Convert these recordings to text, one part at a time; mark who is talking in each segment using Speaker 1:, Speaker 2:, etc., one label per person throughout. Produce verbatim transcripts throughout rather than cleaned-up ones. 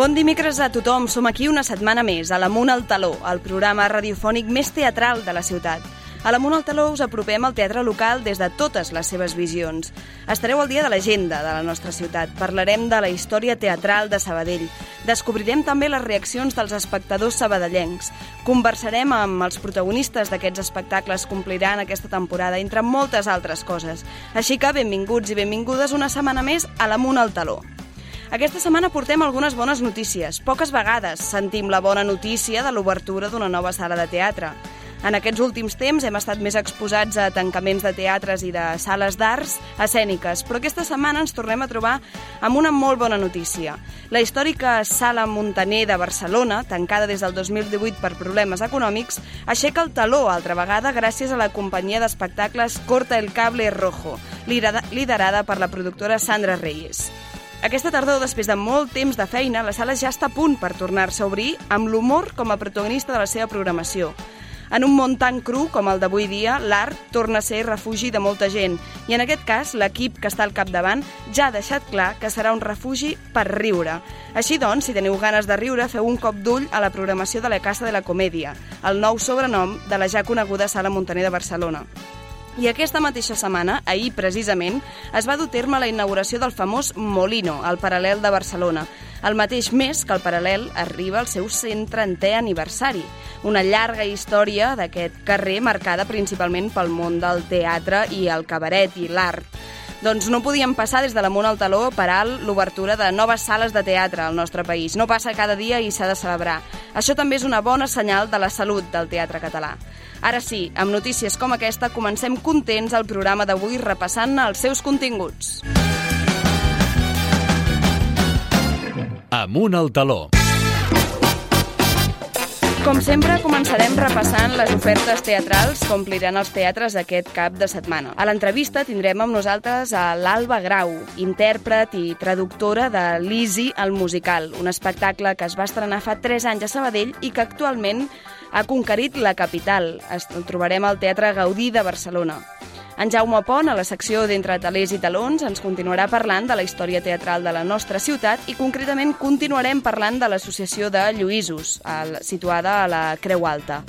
Speaker 1: Bon dimecres a tothom, som aquí una setmana més, a l'Amunt al Taló, el programa radiofònic més teatral de la ciutat. A l'Amunt al Taló us apropem al teatre local des de totes les seves visions. Estareu al dia de l'agenda de la nostra ciutat, parlarem de la història teatral de Sabadell, descobrirem també les reaccions dels espectadors sabadellencs, conversarem amb els protagonistes d'aquests espectacles que ompliran aquesta temporada, entre moltes altres coses. Així que benvinguts i benvingudes una setmana més a l'Amunt al Taló. Aquesta setmana portem algunes bones notícies. Poques vegades sentim la bona notícia de l'obertura d'una nova sala de teatre. En aquests últims temps hem estat més exposats a tancaments de teatres i de sales d'arts escèniques, però aquesta setmana ens tornem a trobar amb una molt bona notícia. La històrica Sala Muntaner de Barcelona, tancada des del dos mil divuit per problemes econòmics, aixeca el taló altra vegada gràcies a la companyia d'espectacles Corta el Cable Rojo, liderada per la productora Sandra Reyes. Aquesta tardor, després de molt temps de feina, la sala ja està a punt per tornar-se a obrir amb l'humor com a protagonista de la seva programació. En un món tan cru com el d'avui dia, l'art torna a ser refugi de molta gent i en aquest cas l'equip que està al capdavant ja ha deixat clar que serà un refugi per riure. Així doncs, si teniu ganes de riure, feu un cop d'ull a la programació de la Casa de la Comèdia, el nou sobrenom de la ja coneguda Sala Muntaner de Barcelona. I aquesta mateixa setmana, ahir precisament, es va dur a terme la inauguració del famós Molino, al Paral·lel de Barcelona, el mateix mes que el Paral·lel arriba al seu cent trentè aniversari, una llarga història d'aquest carrer marcada principalment pel món del teatre i el cabaret i l'art. Doncs no podíem passar des de l'Amunt al Taló per alt l'obertura de noves sales de teatre al nostre país. No passa cada dia i s'ha de celebrar. Això també és una bona senyal de la salut del teatre català. Ara sí, amb notícies com aquesta, comencem contents el programa d'avui repassant els seus continguts.
Speaker 2: Amunt al Taló.
Speaker 1: Com sempre, començarem repassant les ofertes teatrals que ompliran els teatres aquest cap de setmana. A l'entrevista tindrem amb nosaltres a l'Alba Grau, intèrpret i traductora de Lizzie el musical, un espectacle que es va estrenar fa tres anys a Sabadell i que actualment ha conquerit la capital. El trobarem al Teatre Gaudí de Barcelona. En Jaume Pont, a la secció d'Entre talers i talons, ens continuarà parlant de la història teatral de la nostra ciutat i concretament continuarem parlant de l'Associació de Lluïsos, situada a la Creu Alta.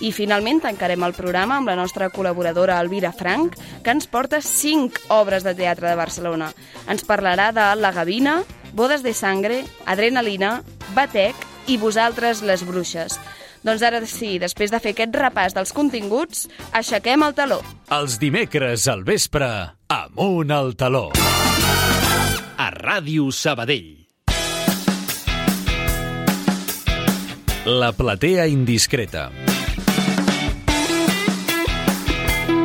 Speaker 1: I finalment tancarem el programa amb la nostra col·laboradora Elvira Frank, que ens porta cinc obres de teatre de Barcelona. Ens parlarà de La Gavina, Bodes de Sangre, Adrenalina, Batec i Vosaltres les Bruixes. Doncs ara sí, després de fer aquest repàs dels continguts, aixequem el taló.
Speaker 2: Els dimecres al vespre, Amunt al Taló. A Ràdio Sabadell. La platea indiscreta.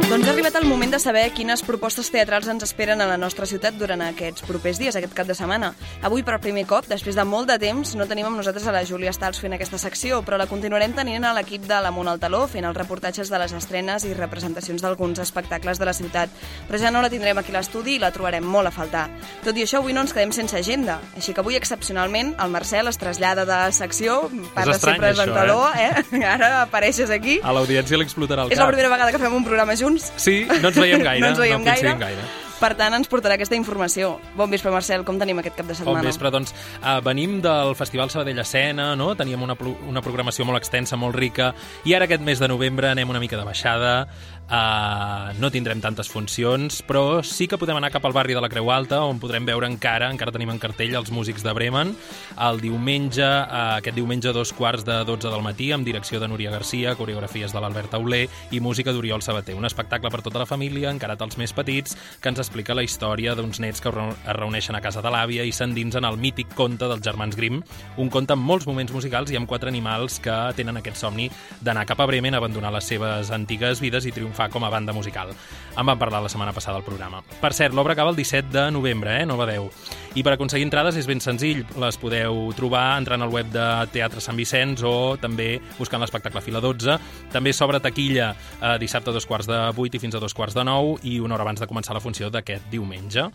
Speaker 1: Doncs ha arribat el moment de saber quines propostes teatrals ens esperen a la nostra ciutat durant aquests propers dies, aquest cap de setmana. Avui, per primer cop, després de molt de temps, no tenim amb nosaltres a la Júlia Stals fent aquesta secció, però la continuarem tenint a l'equip de l'Amunt al Taló, fent els reportatges de les estrenes i representacions d'alguns espectacles de la ciutat. Però ja no la tindrem aquí a l'estudi i la trobarem molt a faltar. Tot i això, avui no ens quedem sense agenda, així que avui, excepcionalment, el Marcel es trasllada de secció, parla sempre de taló, eh? eh? Ara apareixes aquí.
Speaker 3: A l'audiència li explotarà el cap.
Speaker 1: És la primera vegada que fem un programa junts.
Speaker 3: Sí, no ens veiem gaire.
Speaker 1: no ens veiem
Speaker 3: no
Speaker 1: gaire.
Speaker 3: gaire.
Speaker 1: Per tant, ens portarà aquesta informació. Bon vespre, Marcel, com tenim aquest cap de setmana?
Speaker 3: Bon vespre, doncs uh, venim del Festival Sabadell Escena, no? Teníem una, una programació molt extensa, molt rica, i ara aquest mes de novembre anem una mica de baixada, uh, no tindrem tantes funcions, però sí que podem anar cap al barri de la Creu Alta, on podrem veure encara, encara tenim en cartell, els músics de Bremen, el diumenge, uh, aquest diumenge a dos quarts de dotze del matí, amb direcció de Núria Garcia, coreografies de l'Albert Auler i música d'Oriol Sabater. Un espectacle per tota la família, encarat als més petits, que ens explica la història d'uns nets que es reuneixen a casa de l'àvia i s'endinsen al mític conte dels germans Grimm, un conte amb molts moments musicals i amb quatre animals que tenen aquest somni d'anar cap a Bremen, abandonar les seves antigues vides i triomfar com a banda musical. En vam parlar la setmana passada al programa. Per cert, l'obra acaba el disset de novembre, eh? No badeu. I per aconseguir entrades és ben senzill, les podeu trobar entrant al web de Teatre Sant Vicenç o també buscant l'espectacle Fila dotze. També s'obre taquilla eh, dissabte a dos quarts de vuit i fins a dos quarts de nou i una hora abans de començar la funció d'aquest diumenge.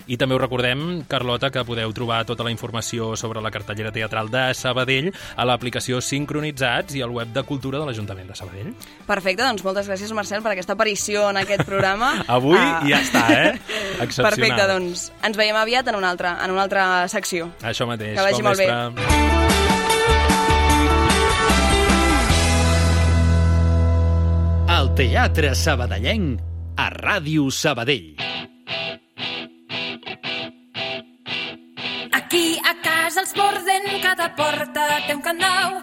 Speaker 3: I també us recordem, Carlota, que podeu trobar tota la informació sobre la cartellera teatral de Sabadell a l'aplicació Sincronitzats i al web de Cultura de l'Ajuntament de Sabadell.
Speaker 1: Perfecte, doncs moltes gràcies, Marcel, per aquesta aparició en aquest programa.
Speaker 3: Avui uh... ja està, eh? Excepcional.
Speaker 1: Perfecte, doncs ens veiem aviat en una altra, en una altra secció.
Speaker 3: Això mateix.
Speaker 1: Que vagi molt bé.
Speaker 2: El Teatre Sabadellenc a Ràdio Sabadell.
Speaker 4: Aquí a casa els Borden, cada porta té un candau.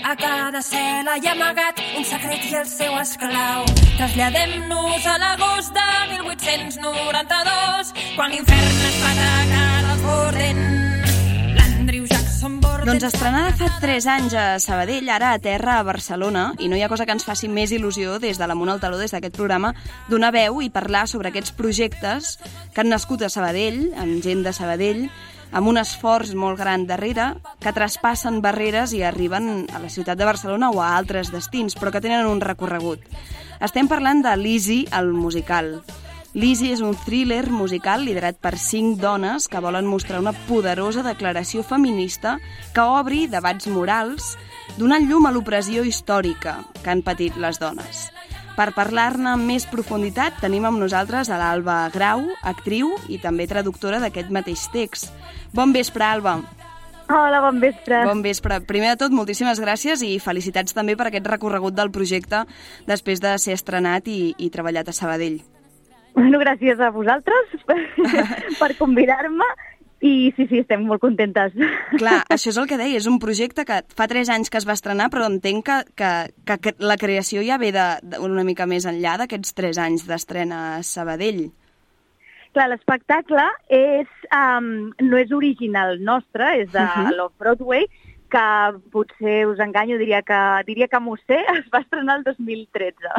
Speaker 4: A cada cel·la hi ha amagat un secret i el seu esclau. Traslladem-nos a l'agost de mil vuit-cents noranta-dos, quan l'infern es va atacar als Borden. L'Andrew Jackson Borden...
Speaker 1: Doncs estrenada fa tres anys a Sabadell, ara a terra a Barcelona, i no hi ha cosa que ens faci més il·lusió des de l'Amunt al Taló, des d'aquest programa, donar veu i parlar sobre aquests projectes que han nascut a Sabadell, amb gent de Sabadell, amb un esforç molt gran darrere, que traspassen barreres i arriben a la ciutat de Barcelona o a altres destins, però que tenen un recorregut. Estem parlant de Lizzy, el musical. Lizzy és un thriller musical liderat per cinc dones que volen mostrar una poderosa declaració feminista que obri debats morals, donant llum a l'opressió històrica que han patit les dones. Per parlar-ne amb més profunditat tenim amb nosaltres a l'Alba Grau, actriu i també traductora d'aquest mateix text. Bon vespre, Alba.
Speaker 5: Hola, bon vespre.
Speaker 1: Bon vespre. Primer de tot, moltíssimes gràcies i felicitats també per aquest recorregut del projecte després de ser estrenat i, i treballat a Sabadell.
Speaker 5: Bueno, gràcies a vosaltres per, per convidar-me. I sí, sí, estem molt contentes.
Speaker 1: Clar, això és el que deia, és un projecte que fa tres anys que es va estrenar, però entenc que, que, que la creació ja ve de, de una mica més enllà d'aquests tres anys d'estrena a Sabadell.
Speaker 5: Clar, l'espectacle és, um, no és original nostre, és de uh-huh. l'Off-Broadway, que potser us enganyo, diria que, diria que m'ho sé, es va estrenar el dos mil tretze,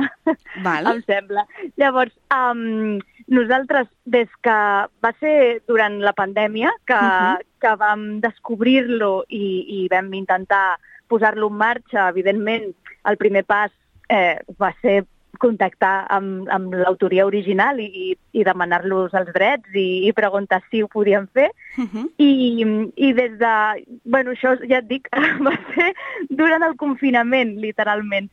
Speaker 1: Val.
Speaker 5: em sembla. Llavors, um, nosaltres, des que va ser durant la pandèmia, que, uh-huh. que vam descobrir-lo i, i vam intentar posar-lo en marxa, evidentment, el primer pas eh, va ser contactar amb, amb l'autoria original i, i demanar-los els drets i, i preguntar si ho podien fer. Uh-huh. I, I des de... Bueno, això ja et dic, va ser durant el confinament, literalment.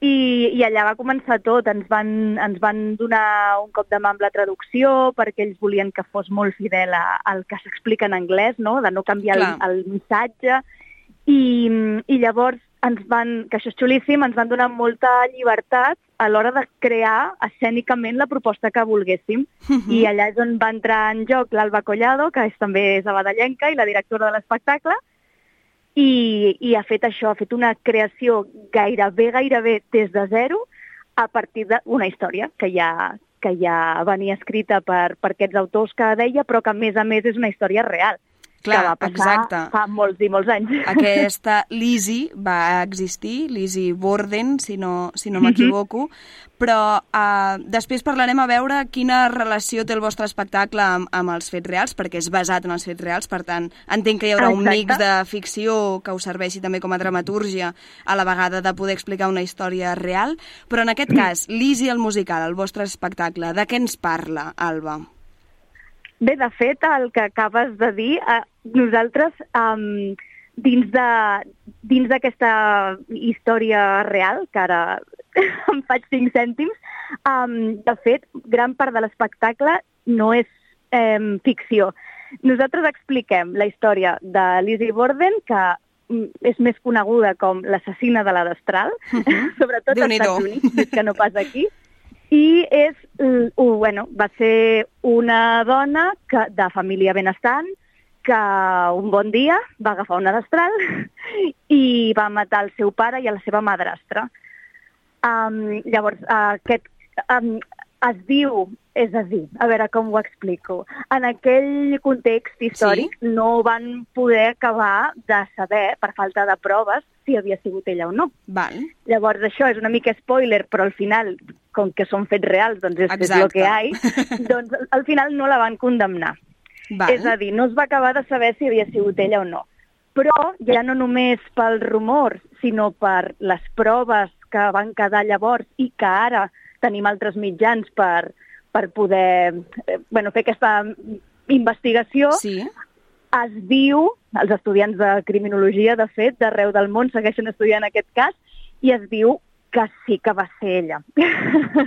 Speaker 5: I, i allà va començar tot. Ens van, ens van donar un cop de mà amb la traducció perquè ells volien que fos molt fidel a, al que s'explica en anglès, no? De no canviar el, el missatge. I, I llavors ens van, que això és xulíssim, ens van donar molta llibertat a l'hora de crear escènicament la proposta que volguéssim. Uh-huh. I allà és on va entrar en joc l'Alba Collado, que és també sabadellenca i la directora de l'espectacle, i, i ha fet això, ha fet una creació gairebé, gairebé des de zero a partir d'una història que ja, que ja venia escrita per, per aquests autors que deia, però que a més a més és una història real.
Speaker 1: Clar,
Speaker 5: que va passar
Speaker 1: exacte.
Speaker 5: Fa molts i molts anys.
Speaker 1: Aquesta Lizzy va existir, Lizzy Borden, si no, si no m'equivoco, però uh, després parlarem a veure quina relació té el vostre espectacle amb, amb els fets reals, perquè és basat en els fets reals, per tant, entenc que hi haurà Exacte. un mix de ficció que us serveixi també com a dramatúrgia, a la vegada de poder explicar una història real, però en aquest cas, Lizzy el musical, el vostre espectacle, de què ens parla, Alba?
Speaker 5: Bé, de fet, el que acabes de dir, eh, nosaltres, um, dins de dins d'aquesta història real, que ara em faig cinc cèntims, um, de fet, gran part de l'espectacle no és um, ficció. Nosaltres expliquem la història de Lizzy Borden, que és més coneguda com l'assassina de la Destral, uh-huh. sobretot als Estats Units, més que no pas aquí. I és, uh, bueno, va ser una dona que, de família benestant que un bon dia va agafar una destral i va matar el seu pare i a la seva madrastra. Um, llavors, uh, aquest um, es diu, és a dir, a veure com ho explico, en aquell context històric sí. no van poder acabar de saber, per falta de proves, si havia sigut ella o no.
Speaker 1: Val.
Speaker 5: Llavors això és una mica spoiler, però al final, com que són fets reals, doncs és, és el que hi ha, doncs al final no la van condemnar.
Speaker 1: Val.
Speaker 5: És a dir, no es va acabar de saber si havia sigut ella o no. Però ja no només pels rumors, sinó per les proves que van quedar llavors i que ara tenim altres mitjans per, per poder eh, bueno, fer aquesta investigació.
Speaker 1: Sí.
Speaker 5: Es diu, els estudiants de criminologia, de fet, d'arreu del món segueixen estudiant aquest cas, i es diu que sí que va ser ella.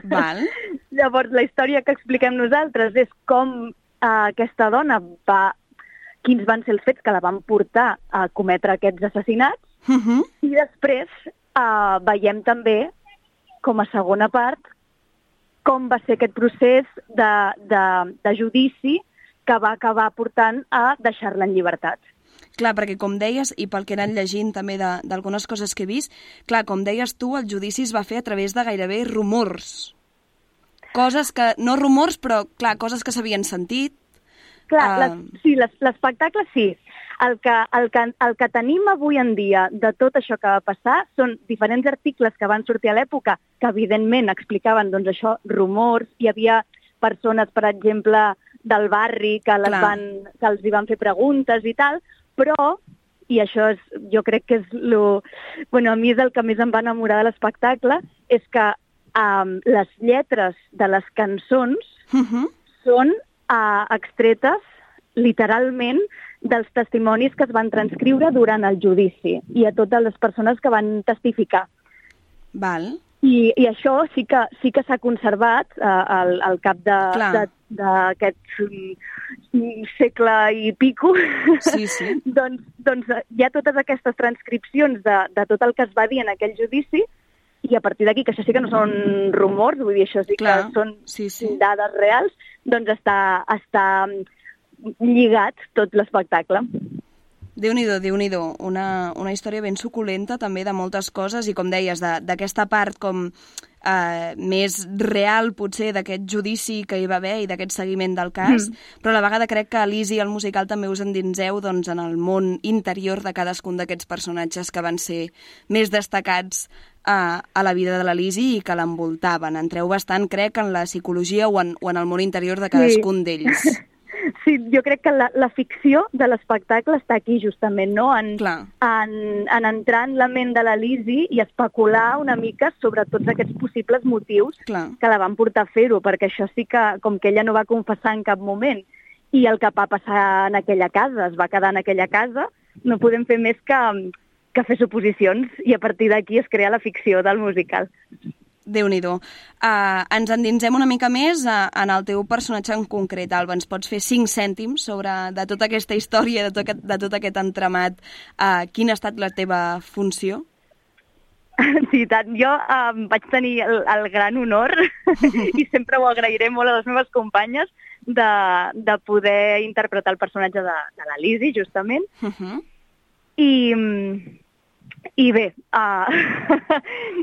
Speaker 1: Val.
Speaker 5: Llavors, la història que expliquem nosaltres és com eh, aquesta dona va... quins van ser els fets que la van portar a cometre aquests assassinats,
Speaker 1: Uh-huh.
Speaker 5: i després eh, veiem també, com a segona part, com va ser aquest procés de, de, de judici que va acabar portant a deixar-la en llibertat.
Speaker 1: Clar, perquè com deies, i pel que he anat llegint també d'algunes coses que he vist, clar, com deies tu, el judici es va fer a través de gairebé rumors. Coses que, no rumors, però clar, coses que s'havien sentit.
Speaker 5: Clar,
Speaker 1: Uh...
Speaker 5: les, sí, l'espectacle sí. El que, el, que, el que tenim avui en dia de tot això que va passar són diferents articles que van sortir a l'època que, evidentment, explicaven doncs, això, rumors. Hi havia persones, per exemple, del barri que, les van, que els hi van fer preguntes i tal, però, i això és, jo crec que és lo... Bueno, a mi és el que més em va enamorar de l'espectacle, és que um, les lletres de les cançons
Speaker 1: Uh-huh.
Speaker 5: són uh, extretes, literalment, dels testimonis que es van transcriure durant el judici i a totes les persones que van testificar.
Speaker 1: Val.
Speaker 5: I, i això sí que sí que s'ha conservat eh, al, al cap d'aquest um, segle i pico.
Speaker 1: Sí, sí.
Speaker 5: doncs, doncs hi ha totes aquestes transcripcions de, de tot el que es va dir en aquell judici, i a partir d'aquí, que això sí que no són rumors, vull dir, això sí
Speaker 1: Clar.
Speaker 5: que són
Speaker 1: Sí, sí.
Speaker 5: dades reals, doncs està, està lligat tot l'espectacle.
Speaker 1: Déu-n'hi-do, Déu-n'hi-do. Una, una història ben suculenta també de moltes coses i, com deies, d'aquesta part com eh, més real, potser, d'aquest judici que hi va haver i d'aquest seguiment del cas, mm. però a la vegada crec que a l'Easy, el musical, també us endinseu doncs, en el món interior de cadascun d'aquests personatges que van ser més destacats a, a la vida de la Lizzy i que l'envoltaven. Entreu bastant, crec, en la psicologia o en, o en el món interior de cadascun sí. d'ells.
Speaker 5: Sí, jo crec que la, la ficció de l'espectacle està aquí, justament, no? En, en, en entrar en la ment de la Lizzy i especular una mica sobre tots aquests possibles motius Clar. que la van portar a fer-ho, perquè això sí que, com que ella no va confessar en cap moment, i el que va passar en aquella casa, es va quedar en aquella casa, no podem fer més que, que fer suposicions, i a partir d'aquí es crea la ficció del musical.
Speaker 1: Déu-n'hi-do. Uh, ens endinsem una mica més uh, en el teu personatge en concret, Alba. Ens pots fer cinc cèntims sobre de tota aquesta història, de tot aquest, de tot aquest entramat? Uh, quina ha estat la teva funció?
Speaker 5: Sí, tant. Jo uh, vaig tenir el, el gran honor i sempre ho agrairé molt a les meves companyes de, de poder interpretar el personatge de, de la Lizzy, justament. Uh-huh. I... I bé, uh,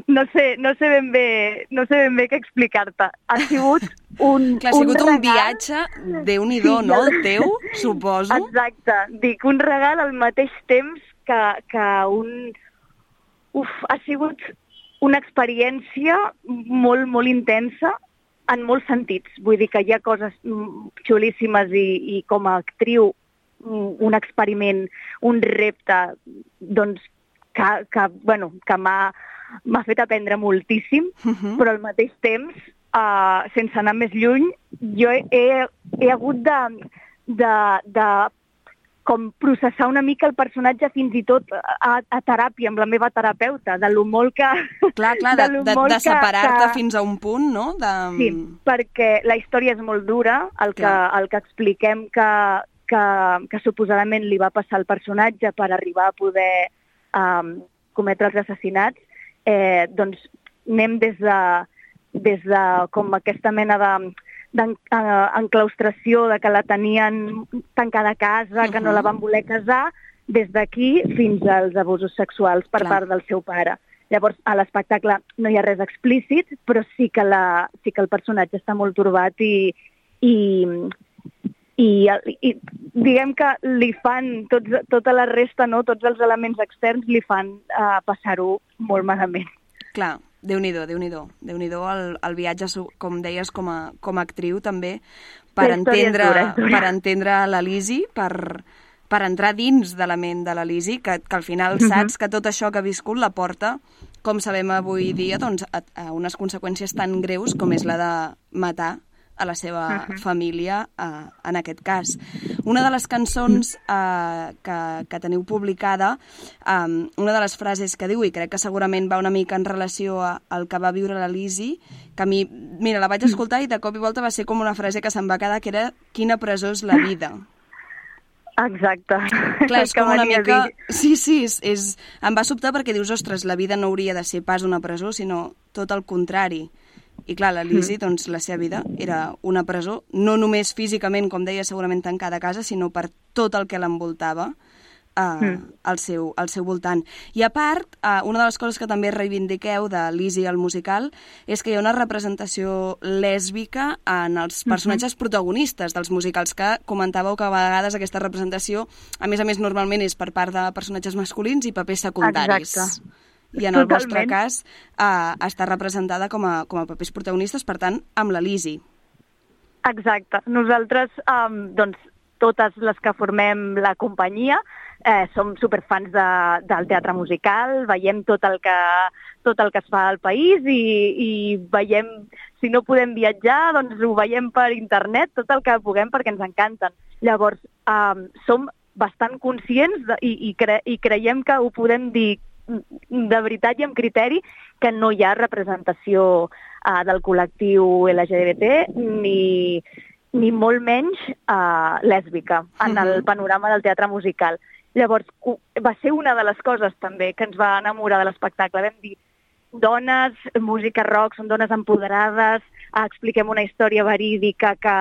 Speaker 5: no, sé, no, sé ben bé, no sé ben bé què explicar-te. Ha sigut un
Speaker 1: Clar, ha sigut
Speaker 5: un,
Speaker 1: un
Speaker 5: regal...
Speaker 1: viatge, Déu-n'hi-do, sí, no, el teu, suposo?
Speaker 5: Exacte. Dic, un regal al mateix temps que, que un... Uf, ha sigut una experiència molt, molt intensa en molts sentits. Vull dir que hi ha coses xulíssimes i, i com a actriu un experiment, un repte, doncs, que, que, bueno, que m'ha fet aprendre moltíssim, uh-huh. però al mateix temps, uh, sense anar més lluny, jo he, he hagut de, de, de com processar una mica el personatge fins i tot a, a teràpia, amb la meva terapeuta, de lo molt que...
Speaker 1: Clar, clar, de, de, de, de separar-te que... fins a un punt, no? De...
Speaker 5: Sí, perquè la història és molt dura, el que, el que expliquem que, que, que suposadament li va passar al personatge per arribar a poder um, cometre els assassinats, eh, doncs anem des de, des de com aquesta mena de... d'enclaustració, de que la tenien tancada a casa, que no la van voler casar, des d'aquí fins als abusos sexuals per Clar. part del seu pare. Llavors, a l'espectacle no hi ha res explícit, però sí que, la, sí que el personatge està molt turbat i, i, i, i diguem que li fan, tots, tota la resta, no, tots els elements externs li fan uh, passar-ho molt malament.
Speaker 1: Clar. Déu-n'hi-do, Déu-n'hi-do. Déu-n'hi-do el, el viatge, com deies, com a, com a actriu també, per entendre, dura, dura. per entendre la Lizzy, per, per entrar dins de la ment de la Lizzy, que, que al final uh-huh. saps que tot això que ha viscut la porta, com sabem avui dia, doncs, a, a unes conseqüències tan greus com és la de matar a la seva uh-huh. família, uh, en aquest cas. Una de les cançons uh, que, que teniu publicada, um, una de les frases que diu, i crec que segurament va una mica en relació a, al que va viure la Lizzy, que a mi, mira, la vaig escoltar i de cop i volta va ser com una frase que se'm va quedar, que era quina presó és la vida.
Speaker 5: Exacte.
Speaker 1: Clar, és com una mica... Sí, sí, és, és... em va sobtar perquè dius, ostres, la vida no hauria de ser pas una presó, sinó tot el contrari. I clar, la Lizzy, mm. doncs, la seva vida era una presó, no només físicament, com deia, segurament tancada a casa, sinó per tot el que l'envoltava uh, mm. al, seu, al seu voltant. I a part, uh, una de les coses que també reivindiqueu de Lizzy al musical és que hi ha una representació lèsbica en els personatges mm-hmm. protagonistes dels musicals, que comentàveu que a vegades aquesta representació, a més a més, normalment és per part de personatges masculins i papers secundaris.
Speaker 5: Exacte.
Speaker 1: I en el Totalment. vostre cas uh, està representada com a, com a papers protagonistes, per tant, amb la Lizzy.
Speaker 5: Exacte. Nosaltres, um, doncs, totes les que formem la companyia, eh, som superfans de, del teatre musical, veiem tot el que, tot el que es fa al país i, i veiem, si no podem viatjar, doncs ho veiem per internet, tot el que puguem perquè ens encanten. Llavors, um, som bastant conscients de, i, i, cre, i creiem que ho podem dir de veritat i amb criteri, que no hi ha representació uh, del col·lectiu L G B T ni, ni molt menys uh, lèsbica en el panorama del teatre musical. Llavors, va ser una de les coses també que ens va enamorar de l'espectacle. Vam dir, dones, música rock, són dones empoderades, uh, expliquem una història verídica que...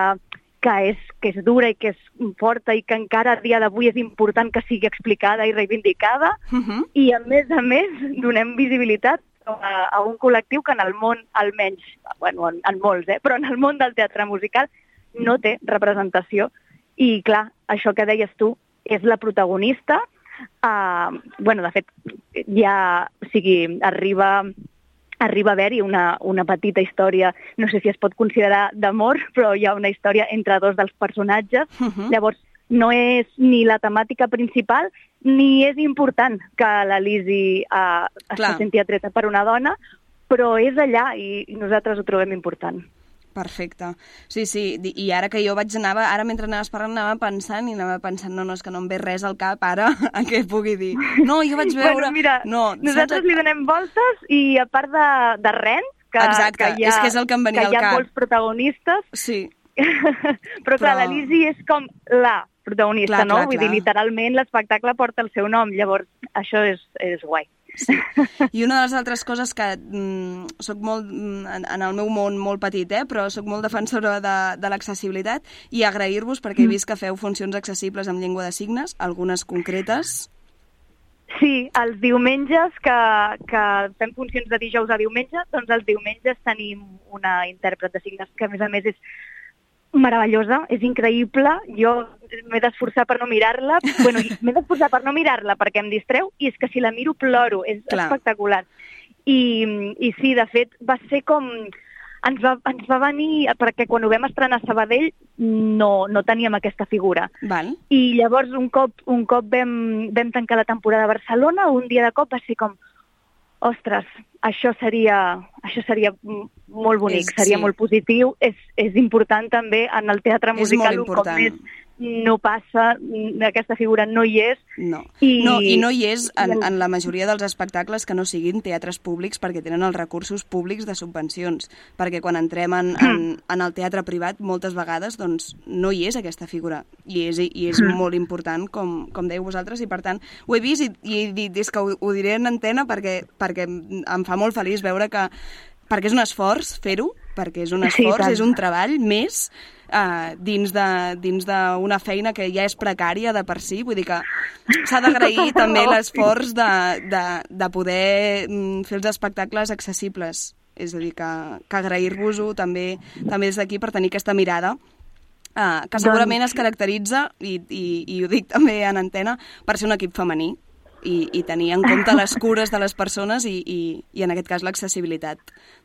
Speaker 5: que és, que és dura i que és forta i que encara a dia d'avui és important que sigui explicada i reivindicada, uh-huh. i a més a més donem visibilitat a, a un col·lectiu que en el món, almenys, bueno, en, en molts, eh, però en el món del teatre musical no té representació. I clar, això que deies tu és la protagonista. Uh, bueno, de fet, ja, o sigui, arriba... arriba a haver-hi una, una petita història, no sé si es pot considerar d'amor, però hi ha una història entre dos dels personatges. Uh-huh. Llavors, no és ni la temàtica principal, ni és important que la Lizzy uh, es senti atreta per una dona, però és allà i nosaltres ho trobem important.
Speaker 1: Perfecte. Sí, sí, i ara que jo vaig anar, ara mentre anaves parlant anava pensant i anava pensant, no, no, és que no em ve res al cap ara a què pugui dir. No, jo vaig veure...
Speaker 5: Bueno, mira, no, nosaltres saps... li donem voltes i a part de, de Rent, que,
Speaker 1: Exacte,
Speaker 5: que, hi ha,
Speaker 1: és que és el que em venia
Speaker 5: que
Speaker 1: al
Speaker 5: hi ha
Speaker 1: cap.
Speaker 5: molts protagonistes,
Speaker 1: sí.
Speaker 5: però clar, Però... la Lizzy és com la protagonista, clar, no? Clar, Vull clar. dir, literalment l'espectacle porta el seu nom, llavors això és, és guai.
Speaker 1: Sí. I una de les altres coses que mm, soc molt, en, en el meu món molt petit, eh, però soc molt defensora de, de l'accessibilitat i agrair-vos perquè he vist que feu funcions accessibles amb llengua de signes, algunes concretes.
Speaker 5: Sí, els diumenges que, que fem funcions de dijous a diumenge, doncs els diumenges tenim una intèrpret de signes que a més a més és meravellosa, és increïble. Jo m'he d'esforçar per no mirar-la. Bueno, m'he d'esforçar per no mirar-la perquè em distreu i és que si la miro ploro. És Clar. espectacular. I, I sí, de fet, va ser com... Ens va, ens va venir... Perquè quan ho vam estrenar a Sabadell no, no teníem aquesta figura.
Speaker 1: Val.
Speaker 5: I llavors un cop, un cop vam, vam tancar la temporada a Barcelona, un dia de cop va ser com... Ostres, això seria, això seria molt bonic, és, seria sí. molt positiu. És, és important també en el teatre musical, un cop més no passa, aquesta figura no hi és.
Speaker 1: No, I, no, i no hi és en, en la majoria dels espectacles que no siguin teatres públics perquè tenen els recursos públics de subvencions. Perquè quan entrem en, en, en el teatre privat, moltes vegades doncs, no hi és aquesta figura. I és, i és mm. molt important, com, com dèieu vosaltres, i per tant ho he vist i, i he dit, és que ho, ho diré en antena perquè, perquè em fa molt feliç veure que, perquè és un esforç fer-ho, perquè és un esforç, sí, és un treball més uh, dins de, dins d'una feina que ja és precària de per si, vull dir que s'ha d'agrair també l'esforç de, de, de poder fer els espectacles accessibles, és a dir, que, que agrair-vos-ho també, també des d'aquí per tenir aquesta mirada uh, que segurament es caracteritza, i, i, i ho dic també en antena, per ser un equip femení. I, i tenir en compte les cures de les persones i, i, i en aquest cas l'accessibilitat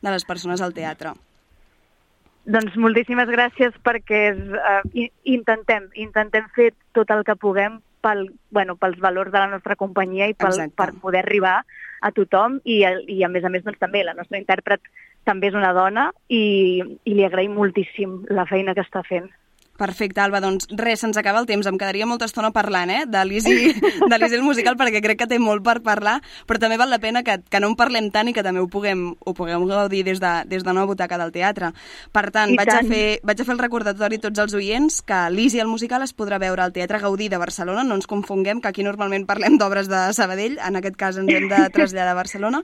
Speaker 1: de les persones al teatre.
Speaker 5: Doncs moltíssimes gràcies perquè uh, intentem, intentem fer tot el que puguem pel, bueno, pels valors de la nostra companyia i pel, per poder arribar a tothom i, i a més a més doncs, també la nostra intèrpret també és una dona i, i li agraïm moltíssim la feina que està fent.
Speaker 1: Perfecte, Alba, doncs res, se'ns acaba el temps. Em quedaria molta estona parlant, eh, de l'Easy, de l'Easy el musical, perquè crec que té molt per parlar, però també val la pena que, que no en parlem tant i que també ho puguem, ho puguem gaudir des de, des de una butaca del teatre. Per tant, vaig tant. a, fer, vaig a fer el recordatori a tots els oients que l'Easy el musical es podrà veure al Teatre Gaudí de Barcelona, no ens confonguem, que aquí normalment parlem d'obres de Sabadell, en aquest cas ens hem de traslladar a Barcelona,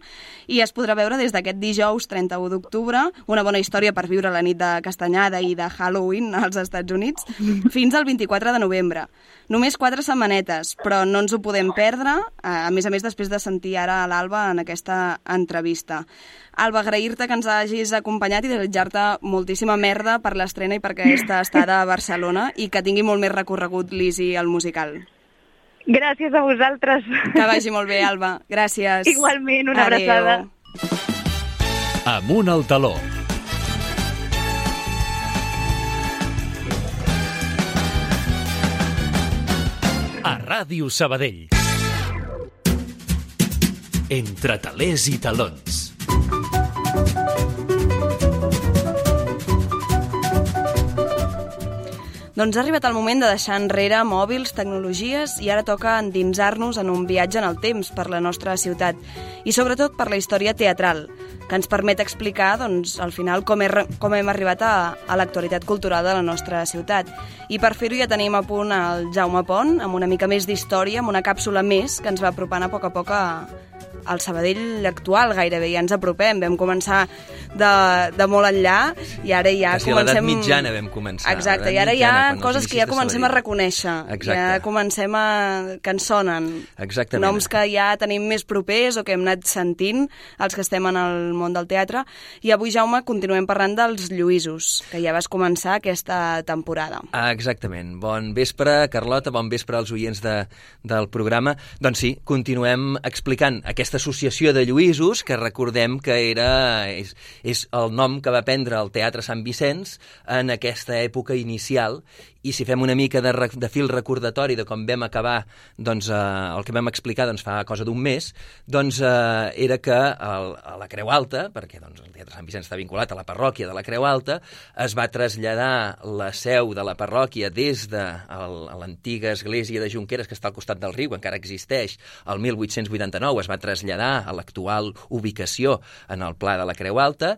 Speaker 1: i es podrà veure des d'aquest dijous trenta-u d'octubre, una bona història per viure la nit de Castanyada i de Halloween als Estats Units, fins al vint-i-quatre de novembre. Només quatre setmanetes, però no ens ho podem perdre, a més a més després de sentir ara a l'Alba en aquesta entrevista. Alba, agrair-te que ens hagis acompanyat i desitjar-te moltíssima merda per l'estrena i per aquesta estada a Barcelona i que tingui molt més recorregut l'Easy al musical.
Speaker 5: Gràcies a vosaltres.
Speaker 1: Que vagi molt bé, Alba. Gràcies.
Speaker 5: Igualment, una Adeu. abraçada.
Speaker 2: Amunt al taló. A Ràdio Sabadell. Entre talers i talons.
Speaker 1: Doncs ha arribat el moment de deixar enrere mòbils, tecnologies i ara toca endinsar-nos en un viatge en el temps per la nostra ciutat i sobretot per la història teatral, que ens permet explicar, doncs, al final com, he, com hem arribat a, a l'actualitat cultural de la nostra ciutat. I per fer-ho ja tenim a punt el Jaume Pont, amb una mica més d'història, amb una càpsula més que ens va apropant a poc a poc a, al Sabadell actual, gairebé, ja ens apropem. Vam començar de, de molt enllà i ara ja
Speaker 6: Quasi
Speaker 1: comencem...
Speaker 6: a l'edat mitjana vam començar.
Speaker 1: Exacte, i ara hi ha coses que ja comencem a reconèixer.
Speaker 6: Exacte.
Speaker 1: Ja comencem a... que ens sonen.
Speaker 6: Exactament.
Speaker 1: Noms que ja tenim més propers o que hem anat sentint, els que estem en el món del teatre. I avui, Jaume, continuem parlant dels Lluïsos, que ja vas començar aquesta temporada.
Speaker 6: Ah, exactament. Bon vespre, Carlota, bon vespre als oients de, del programa. Doncs sí, continuem explicant aquesta associació de Lluïsos, que recordem que era és, és el nom que va prendre el Teatre Sant Vicenç en aquesta època inicial, i si fem una mica de, de fil recordatori de com vam acabar, doncs, eh, el que vam explicar doncs, fa cosa d'un mes, doncs eh, era que el, a la Creu Alta, perquè doncs, el Teatre Sant Vicenç està vinculat a la parròquia de la Creu Alta, es va traslladar la seu de la parròquia des de el, l'antiga església de Junqueres, que està al costat del riu, encara existeix, el mil vuit-cents vuitanta-nou es va traslladar a l'actual ubicació en el Pla de la Creu Alta.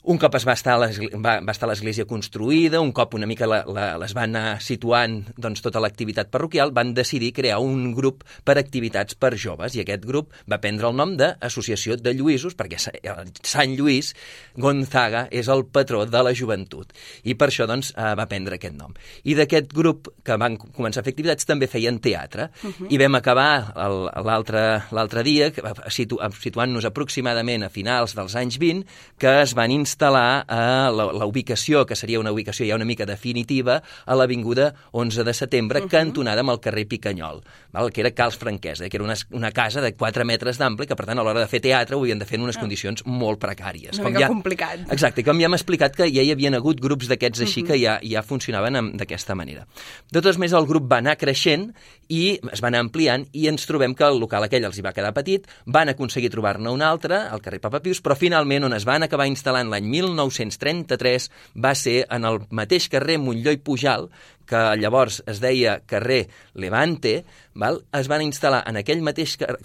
Speaker 6: Un cop es va estar a va, va estar l'església construïda, un cop una mica la, la, les van anar situant doncs, tota l'activitat parroquial, van decidir crear un grup per activitats per joves, i aquest grup va prendre el nom d'Associació de Lluïsos, perquè Sant Lluís Gonzaga és el patró de la joventut, i per això doncs, va prendre aquest nom. I d'aquest grup que van començar a fer activitats també feien teatre, uh-huh. i vam acabar l'altre dia situ, situant-nos aproximadament a finals dels anys vint, que es van instal·lar instal·lar a la, la ubicació, que seria una ubicació ja una mica definitiva, a l'avinguda onze de setembre, uh -huh. cantonada amb el carrer Picanyol, val? Que era Cals Franquesa, que era una, una casa de quatre metres d'ample, que per tant a l'hora de fer teatre ho havien de fer en unes uh -huh. condicions molt precàries.
Speaker 1: Una
Speaker 6: com
Speaker 1: mica
Speaker 6: ja,
Speaker 1: complicat.
Speaker 6: Exacte, com ja hem explicat que ja hi havien hagut grups d'aquests així uh -huh. que ja, ja funcionaven d'aquesta manera. De totes maneres, el grup va anar creixent i es va anar ampliant, i ens trobem que el local aquell els hi va quedar petit, van aconseguir trobar-ne un altre, al carrer Papa Pius, però finalment on es van acabar instal·lant l'any mil nou-cents trenta-tres va ser en el mateix carrer Montllor i Pujal, que llavors es deia carrer Levante, val? Es van instal·lar en aquell mateix carrer,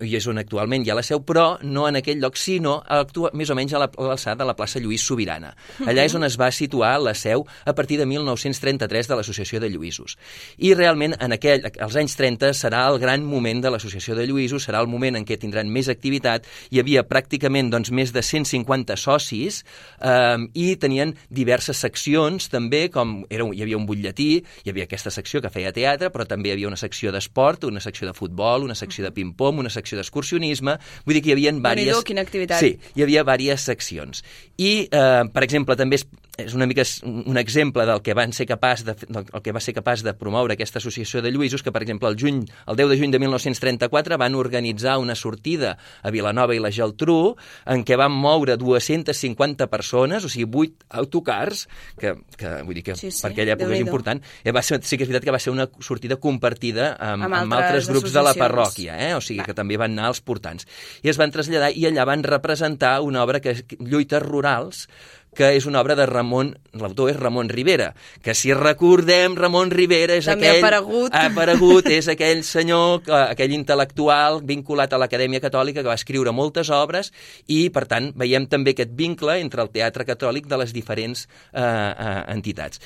Speaker 6: i és on actualment hi ha la seu, però no en aquell lloc, sinó actua, més o menys a l'alçada de la plaça Lluís Sobirana. Allà és on es va situar la seu a partir de mil nou-cents trenta-tres de l'Associació de Lluïsos. I realment, en aquell, als anys trenta, serà el gran moment de l'Associació de Lluïsos, serà el moment en què tindran més activitat. Hi havia pràcticament doncs, més de cent cinquanta socis, eh, i tenien diverses seccions, també, com era, hi havia un butlletí, hi havia aquesta secció que feia teatre, però també hi havia una secció d'esport, una secció de futbol, una secció de ping-pong, una secció d'excursionisme, vull dir que hi havia diverses...
Speaker 1: Quina activitat.
Speaker 6: Sí, hi havia diverses seccions. I, eh, per exemple, també és, és una mica un exemple del que van ser capaç de, del que va ser capaç de promoure aquesta associació de lluïsos, que, per exemple, el, juny, el deu de juny de mil nou-cents trenta-quatre van organitzar una sortida a Vilanova i la Geltrú en què van moure dues-centes cinquanta persones, o sigui, vuit autocars, que, que vull dir que sí, sí, per aquella època és important. Eh, va ser, sí que és veritat que va ser una sortida compartida amb, amb, amb altres grups de la parròquia, eh? O sigui, va. Que també van anar als portants. I es van traslladar i allà van representar una obra que és Lluites Rurals, que és una obra de Ramon, l'autor és Ramon Rivera, que si recordem, Ramon Rivera és
Speaker 1: també
Speaker 6: aquell...
Speaker 1: ha aparegut.
Speaker 6: Ha aparegut, és aquell senyor, aquell intel·lectual vinculat a l'Acadèmia Catòlica que va escriure moltes obres i, per tant, veiem també aquest vincle entre el teatre catòlic de les diferents eh, eh, entitats.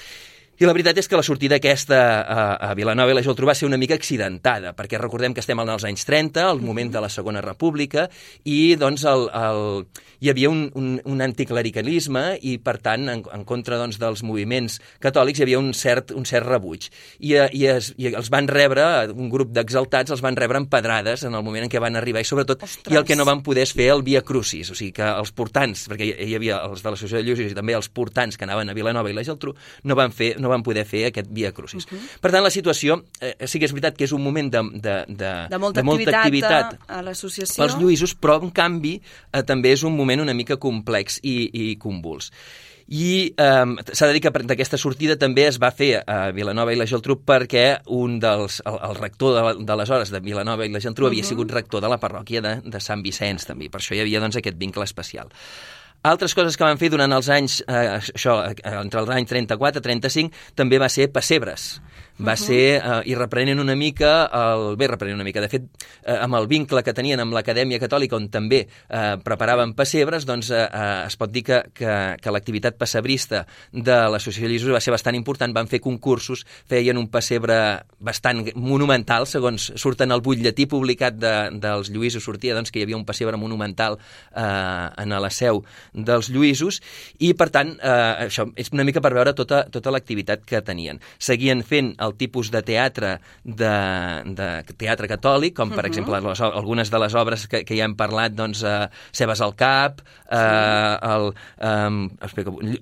Speaker 6: I la veritat és que la sortida aquesta a, a Vilanova i la Geltrú va ser una mica accidentada, perquè recordem que estem als anys trenta, el moment de la Segona República, i doncs el, el, hi havia un, un, un anticlericalisme i, per tant, en, en contra doncs, dels moviments catòlics hi havia un cert, un cert rebuig. I, i, es, I els van rebre, un grup d'exaltats els van rebre amb pedrades en el moment en què van arribar, i sobretot, Ostres. I el que no van poder fer el Via Crucis, o sigui que els portants, perquè hi havia els de l'Associació de Lluïsos i també els portants que anaven a Vilanova i la Geltrú, no van fer no van poder fer aquest Via Crucis. Uh -huh. Per tant, la situació, eh, sí que és veritat que és un moment de, de, de,
Speaker 1: de, molta,
Speaker 6: de molta
Speaker 1: activitat, activitat a l'associació
Speaker 6: pels lluïsos, però, en canvi, eh, també és un moment una mica complex i, i convuls. I eh, s'ha de dir que d'aquesta sortida també es va fer a Vilanova i la Geltrú perquè un dels, el, el rector d'aleshores de, de Vilanova i la Geltrú uh -huh. havia sigut rector de la parròquia de, de Sant Vicenç, també. Per això hi havia doncs, aquest vincle especial. Altres coses que van fer durant els anys, eh, això, entre els anys trenta-quatre i trenta-cinc, també va ser pessebres. Va uh -huh. ser, eh, i reprenent una mica, el, bé, reprenent una mica, de fet, eh, amb el vincle que tenien amb l'Acadèmia Catòlica, on també eh, preparaven pessebres, doncs eh, eh, es pot dir que, que, que l'activitat pessebrista de l'Associació de Lluïsos va ser bastant important, van fer concursos, feien un pessebre bastant monumental, segons surten el butlletí publicat de, dels Lluïsos, sortia doncs, que hi havia un pessebre monumental eh, en la seu dels Lluïsos, i per tant eh, això és una mica per veure tota, tota l'activitat que tenien. Seguien fent el tipus de teatre de, de teatre catòlic, com per uh -huh. exemple les, algunes de les obres que, que ja hem parlat, doncs eh, Cebes al cap, eh, el, eh,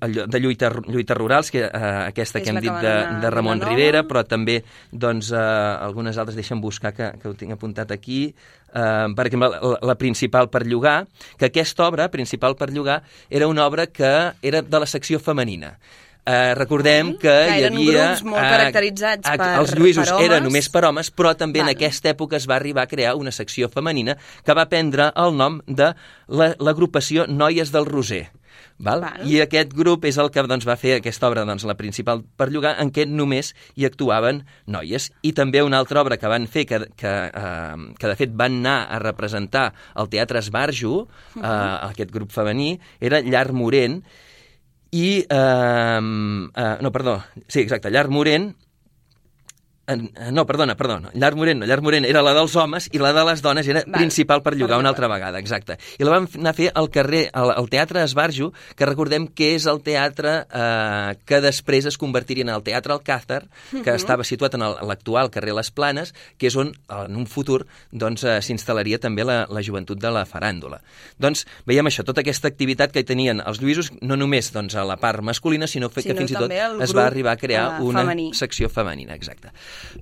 Speaker 6: el, de lluita, lluites rurals, que eh, aquesta que, que hem dit de, de Ramon Rivera, però també doncs eh, algunes altres, deixa'm buscar que, que ho tinc apuntat aquí. Uh, per exemple, la, la principal per llogar, que aquesta obra, principal per llogar, era una obra que era de la secció femenina. Uh, recordem que, que hi havia...
Speaker 1: grups molt caracteritzats uh, per,
Speaker 6: els lluïsos
Speaker 1: per homes.
Speaker 6: Eren només per homes, però també
Speaker 1: Val.
Speaker 6: En aquesta època es va arribar a crear una secció femenina que va prendre el nom de l'agrupació Noies del Roser. Val? Val. I aquest grup és el que doncs, va fer aquesta obra, doncs, la principal per llogar, en què només hi actuaven noies. I també una altra obra que van fer, que, que, eh, que de fet van anar a representar el Teatre Esbarjo, uh -huh. eh, aquest grup femení, era Llar Morent, i... Eh, eh, no, perdó, sí, exacte, Llar Morent... No, perdona, perdona, Llar Morent no, Llar Morent era la dels homes i la de les dones era Val. Principal per llogar una altra vegada, exacte. I la vam anar a fer al carrer, al, al Teatre Esbarjo, que recordem que és el teatre eh, que després es convertiria en el Teatre Alcázar, que uh -huh. estava situat en l'actual carrer Les Planes, que és on en un futur doncs, eh, s'instal·laria també la, la joventut de la faràndula. Doncs veiem això, tota aquesta activitat que tenien els lluïsos, no només doncs, a la part masculina, sinó, sinó que fins i tot es va arribar a crear uh, una femení. secció femenina, exacte.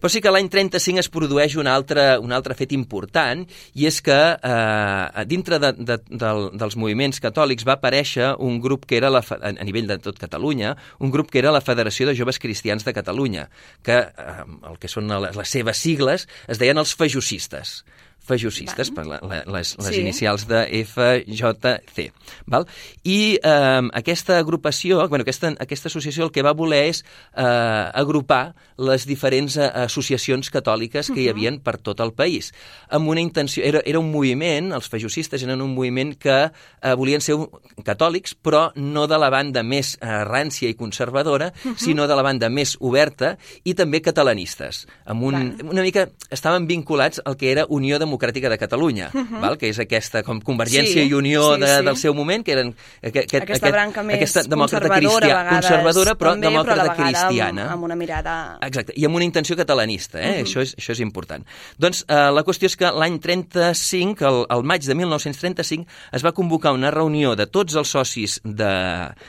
Speaker 6: Però sí que l'any trenta-cinc es produeix un altre, un altre fet important, i és que eh, dintre de, de, de, dels moviments catòlics va aparèixer un grup que era, la, a nivell de tot Catalunya, un grup que era la Federació de Joves Cristians de Catalunya, que eh, el que són les, les seves sigles es deien els fajocistes. fajocistes, per la, la, les, les sí. inicials de F J C. Val? I eh, aquesta agrupació, bueno, aquesta, aquesta associació el que va voler és eh, agrupar les diferents eh, associacions catòliques que hi havia per tot el país. Amb una intenció, era, era un moviment, els fajocistes eren un moviment que eh, volien ser catòlics, però no de la banda més eh, rància i conservadora, uh -huh. sinó de la banda més oberta i també catalanistes. Amb un, una mica estaven vinculats al que era Unió de Democràtica de Catalunya, uh-huh. val? Que és aquesta com Convergència
Speaker 1: sí,
Speaker 6: i Unió
Speaker 1: sí,
Speaker 6: de,
Speaker 1: sí.
Speaker 6: del seu moment, que eren aquest,
Speaker 1: aquesta
Speaker 6: aquest,
Speaker 1: branca més
Speaker 6: aquesta
Speaker 1: conservadora,
Speaker 6: cristia,
Speaker 1: a vegades,
Speaker 6: conservadora però
Speaker 1: també,
Speaker 6: demòcrata
Speaker 1: però a la vegada
Speaker 6: cristiana.
Speaker 1: Amb, amb una mirada...
Speaker 6: Exacte, i amb una intenció catalanista, eh? Uh-huh. això, és, això és important. Doncs eh, la qüestió és que l'any trenta-cinc, el, el maig de mil nou-cents trenta-cinc, es va convocar una reunió de tots els socis de,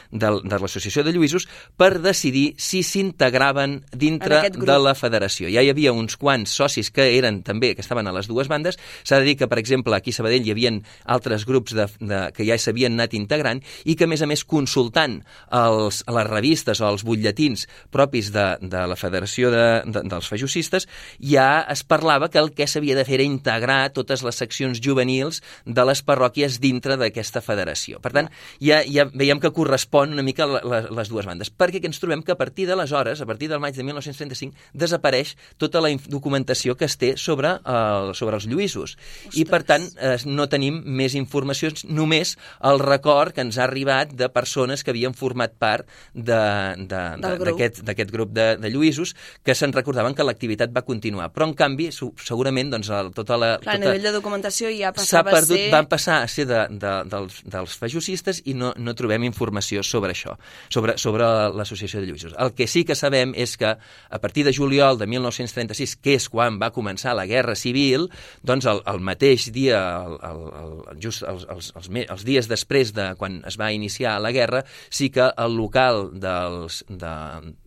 Speaker 6: de, de l'Associació de Lluïsos per decidir si s'integraven dintre de la federació. Ja hi havia uns quants socis que eren també, que estaven a les dues bandes. S'ha de dir que, per exemple, aquí a Sabadell hi havia altres grups de, de, que ja s'havien anat integrant i que, a més a més, consultant els, les revistes o els butlletins propis de, de la Federació de, de, dels Fajucistes, ja es parlava que el que s'havia de fer era integrar totes les seccions juvenils de les parròquies dintre d'aquesta federació. Per tant, ja, ja veiem que correspon una mica a les dues bandes, perquè ens trobem que a partir d'aleshores, a partir del maig de mil nou-cents trenta-cinc, desapareix tota la documentació que es té sobre, el, sobre els lluïsos. Ostres. I, per tant, eh, no tenim més informacions, només el record que ens ha arribat de persones que havien format part d'aquest grup de, de lluïsos, que se'n recordaven que l'activitat va continuar. Però, en canvi, segurament, doncs, el, tota la...
Speaker 1: Clar,
Speaker 6: tota,
Speaker 1: a nivell de documentació ja passava
Speaker 6: perdut,
Speaker 1: a ser...
Speaker 6: Van passar a ser de, de, dels, dels fajucistes i no, no trobem informació sobre això, sobre, sobre l'Associació de Lluïsos. El que sí que sabem és que a partir de juliol de mil nou-cents trenta-sis, que és quan va començar la Guerra Civil, doncs el, el mateix dia, el, el, el, just els, els, els, els dies després de quan es va iniciar la guerra, sí que el local dels, de,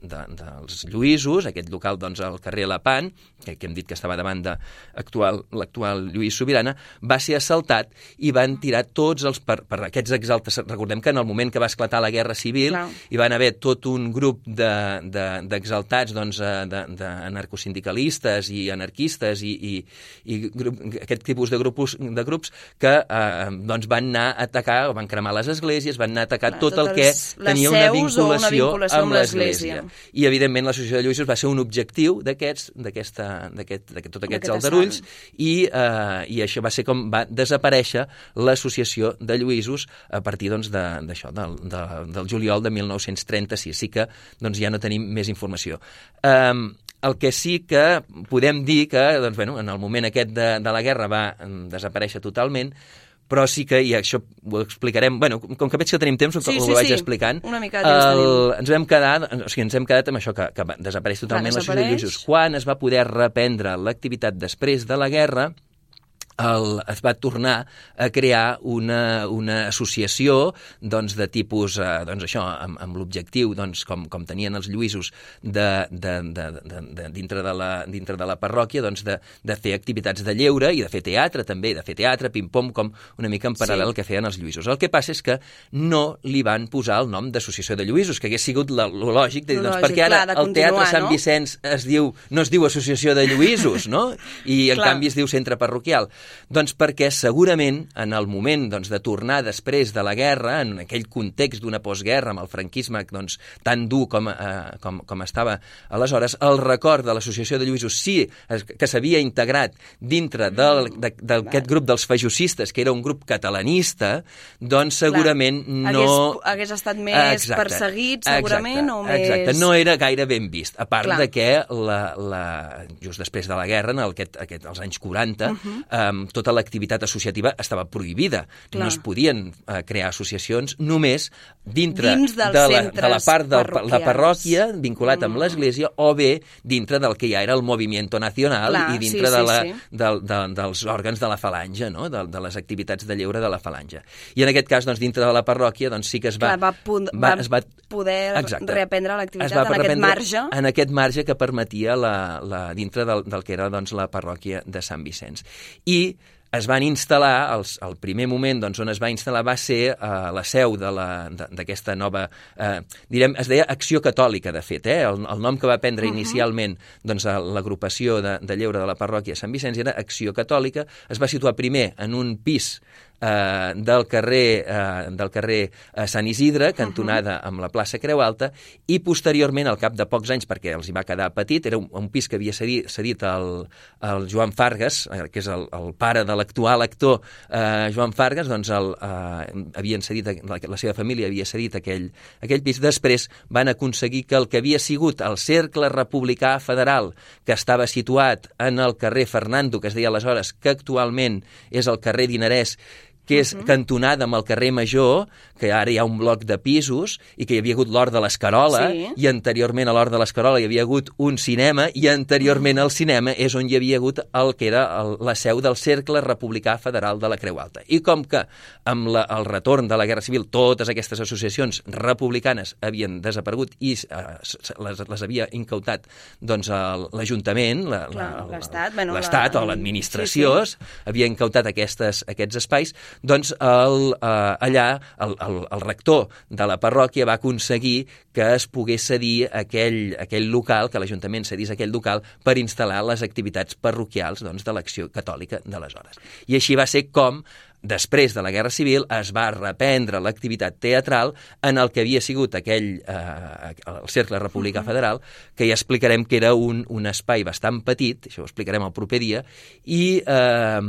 Speaker 6: de, dels Lluïsos, aquest local doncs al carrer Lapan, que, que hem dit que estava davant de l'actual Lluís Sobirana, va ser assaltat i van tirar tots els... Per, per aquests exaltes... Recordem que en el moment que va esclatar la Guerra Civil
Speaker 1: Clar.
Speaker 6: Hi van haver tot un grup d'exaltats de, de, doncs, d'anarcosindicalistes i anarquistes i, i, i grup, aquest tipus de grups, de grups que eh, doncs van anar a atacar, van cremar les esglésies, van anar a atacar Clar, tot el que tenia una vinculació, una vinculació amb l'església. I, evidentment, l'Associació de Lluïsos va ser un objectiu d'aquests, d'aquesta, d'aquest, d'aquest, tot aquests aldarulls, i, eh, i això va ser com va desaparèixer l'Associació de Lluïsos a partir doncs, d'això, del, de, del juliol de mil nou-cents trenta-sis. Sí que doncs, ja no tenim més informació. Um, el que sí que podem dir que doncs, bueno, en el moment aquest de, de la guerra va desaparèixer totalment, però sí que, i això ho explicarem, bueno, com que veig que tenim temps, sí, ho sí, vaig sí. explicant,
Speaker 1: una mica de temps
Speaker 6: el, ens vam quedar, o sigui, ens hem quedat amb això, que, que desapareix totalment l'Associació de Lluïsos. Quan es va poder reprendre l'activitat després de la guerra, El, es va tornar a crear una, una associació doncs, de tipus, eh, doncs això, amb, amb l'objectiu, doncs, com, com tenien els lluïsos de, de, de, de, de, dintre, de la, dintre de la parròquia, doncs, de, de fer activitats de lleure i de fer teatre també, de fer teatre, pim-pom, com una mica en paral·lel sí. que feien els lluïsos. El que passa és que no li van posar el nom d'Associació de Lluïsos, que hagués sigut la, lo lògic, de dir, doncs, perquè ara clar, el Teatre Sant no? Vicenç es diu, no es diu Associació de Lluïsos, no? I en clar. canvi es diu Centre Parroquial. Doncs perquè segurament en el moment doncs, de tornar després de la guerra, en aquell context d'una postguerra amb el franquisme doncs, tan dur com, eh, com, com estava aleshores, el record de l'Associació de Lluïsos sí que s'havia integrat dintre d'aquest de, de, grup dels fajucistes, que era un grup catalanista, doncs segurament Clar. no...
Speaker 1: Hagués, hagués estat més exacte, perseguit, segurament,
Speaker 6: exacte,
Speaker 1: o més...
Speaker 6: Exacte, no era gaire ben vist, a part Clar. de que la, la, just després de la guerra, en aquest, aquest, als anys quaranta, uh-huh. eh, tota l'activitat associativa estava prohibida. Clar. No es podien eh, crear associacions només dintre
Speaker 1: Dins
Speaker 6: de, la, de la part de la parròquia vinculat mm. amb l'Església o bé dintre del que ja era el Movimiento Nacional Clar, i dintre sí, de la, sí, sí. De, de, dels òrgans de la falange, no? de, de les activitats de lleure de la falange. I en aquest cas, doncs, dintre de la parròquia, doncs, sí que es va...
Speaker 1: Clar, va, pu- va, es va poder exacte, reaprendre l'activitat en aquest marge.
Speaker 6: En aquest marge que permetia la, la, dintre del, del que era doncs, la parròquia de Sant Vicenç. I es van instal·lar, els, el primer moment doncs, on es va instal·lar va ser eh, la seu d'aquesta nova, eh, direm, es deia Acció Catòlica, de fet, eh? el, el nom que va prendre uh-huh. inicialment doncs, l'agrupació de, de lleure de la parròquia de Sant Vicenç era Acció Catòlica, es va situar primer en un pis eh, del carrer, eh, del carrer eh, Sant Isidre, cantonada amb la plaça Creu Alta, i posteriorment, al cap de pocs anys, perquè els hi va quedar petit, era un, un pis que havia cedit, cedit el, el Joan Fargas, eh, que és el, el pare de l'actual actor eh, Joan Fargas, doncs el, eh, havien cedit, la, la seva família havia cedit aquell, aquell pis. Després van aconseguir que el que havia sigut el Cercle Republicà Federal, que estava situat en el carrer Fernando, que es deia aleshores, que actualment és el carrer Dinarès, que és uh-huh. cantonada amb el carrer Major, que ara hi ha un bloc de pisos, i que hi havia hagut l'Hort de l'Escarola, sí. i anteriorment a l'Hort de l'Escarola hi havia hagut un cinema, i anteriorment al cinema és on hi havia hagut el que era el, la seu del Cercle Republicà Federal de la Creu Alta. I com que amb la, el retorn de la Guerra Civil totes aquestes associacions republicanes havien desaparegut i eh, les, les havia incautat doncs, l'Ajuntament,
Speaker 1: l'Estat, bueno,
Speaker 6: l'Estat la... o l'administració, sí, sí. havia incautat aquestes, aquests espais, doncs el, eh, allà el, el, el rector de la parròquia va aconseguir que es pogués cedir aquell, aquell local, que l'Ajuntament cedís aquell local per instal·lar les activitats parroquials doncs, de l'Acció Catòlica d'aleshores. I així va ser com, després de la Guerra Civil, es va reprendre l'activitat teatral en el que havia sigut aquell, eh, el Cercle Republicà uh-huh. Federal, que ja explicarem que era un, un espai bastant petit, això ho explicarem el proper dia, i, eh,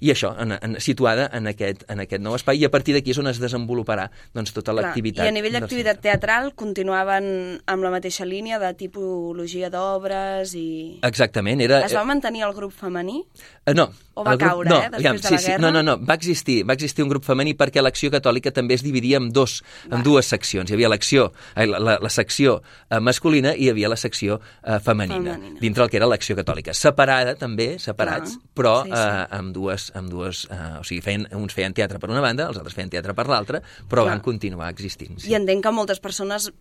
Speaker 6: i això, en, en, situada en aquest, en aquest nou espai, i a partir d'aquí és on es desenvoluparà doncs, tota l'activitat.
Speaker 1: I a nivell d'activitat teatral continuaven amb la mateixa línia de tipologia d'obres i...
Speaker 6: Exactament. Era...
Speaker 1: Es va mantenir el grup femení?
Speaker 6: Uh, no.
Speaker 1: O va
Speaker 6: grup,
Speaker 1: caure,
Speaker 6: no,
Speaker 1: eh, després
Speaker 6: aviam,
Speaker 1: de
Speaker 6: sí,
Speaker 1: la guerra?
Speaker 6: Sí, no, no, no, va existir, va existir un grup femení perquè l'Acció Catòlica també es dividia en, dos, en dues seccions. Hi havia l'acció, la, la, la secció eh, masculina i hi havia la secció eh, femenina, femenina, dintre el que era l'Acció Catòlica. Separada també, separats, Clar. però sí, sí. Eh, amb dues... Amb dues eh, o sigui, feien, uns feien teatre per una banda, els altres feien teatre per l'altra, però Clar. van continuar existint. Sí.
Speaker 1: I entenc que moltes persones...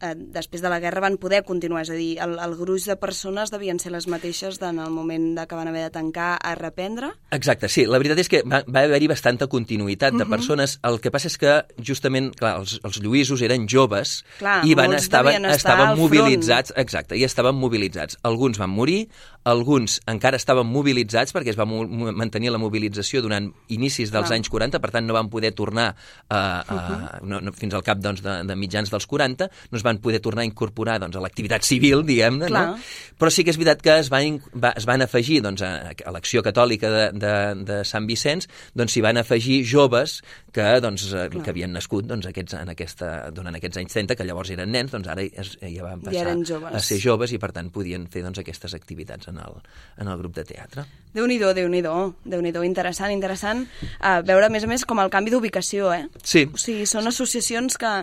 Speaker 1: Eh, després de la guerra van poder continuar, és a dir, el, el gruix de persones devien ser les mateixes en el moment de que van haver de tancar a reprendre?
Speaker 6: Exacte, sí. La veritat és que va, va haver-hi bastanta continuïtat de uh-huh. persones. El que passa és que, justament, clar, els, els lluïsos eren joves
Speaker 1: clar,
Speaker 6: i van estaven, estaven mobilitzats,
Speaker 1: front.
Speaker 6: exacte, i estaven mobilitzats. Alguns van morir, alguns encara estaven mobilitzats perquè es va mo mantenir la mobilització durant inicis dels clar. anys quaranta, per tant no van poder tornar a, a, uh-huh. no, no, fins al cap doncs, de, de mitjans dels quaranta, no es van poder tornar a incorporar doncs, a l'activitat civil, diguem-ne, no? Però sí que és veritat que es van, va, es van afegir doncs, a, a l'Acció Catòlica de, de, de Sant Vicenç, doncs s'hi van afegir joves que, doncs, que havien nascut doncs, aquests, en aquesta, durant aquests anys trenta, que llavors eren nens, doncs ara es, ja van passar a ser joves i per tant podien fer doncs, aquestes activitats en el, en el grup de teatre.
Speaker 1: Déu-n'hi-do, Déu-n'hi-do, Déu-n'hi-do, interessant, interessant. Uh, veure, a més a més, com el canvi d'ubicació, eh?
Speaker 6: Sí.
Speaker 1: O sigui, són associacions que,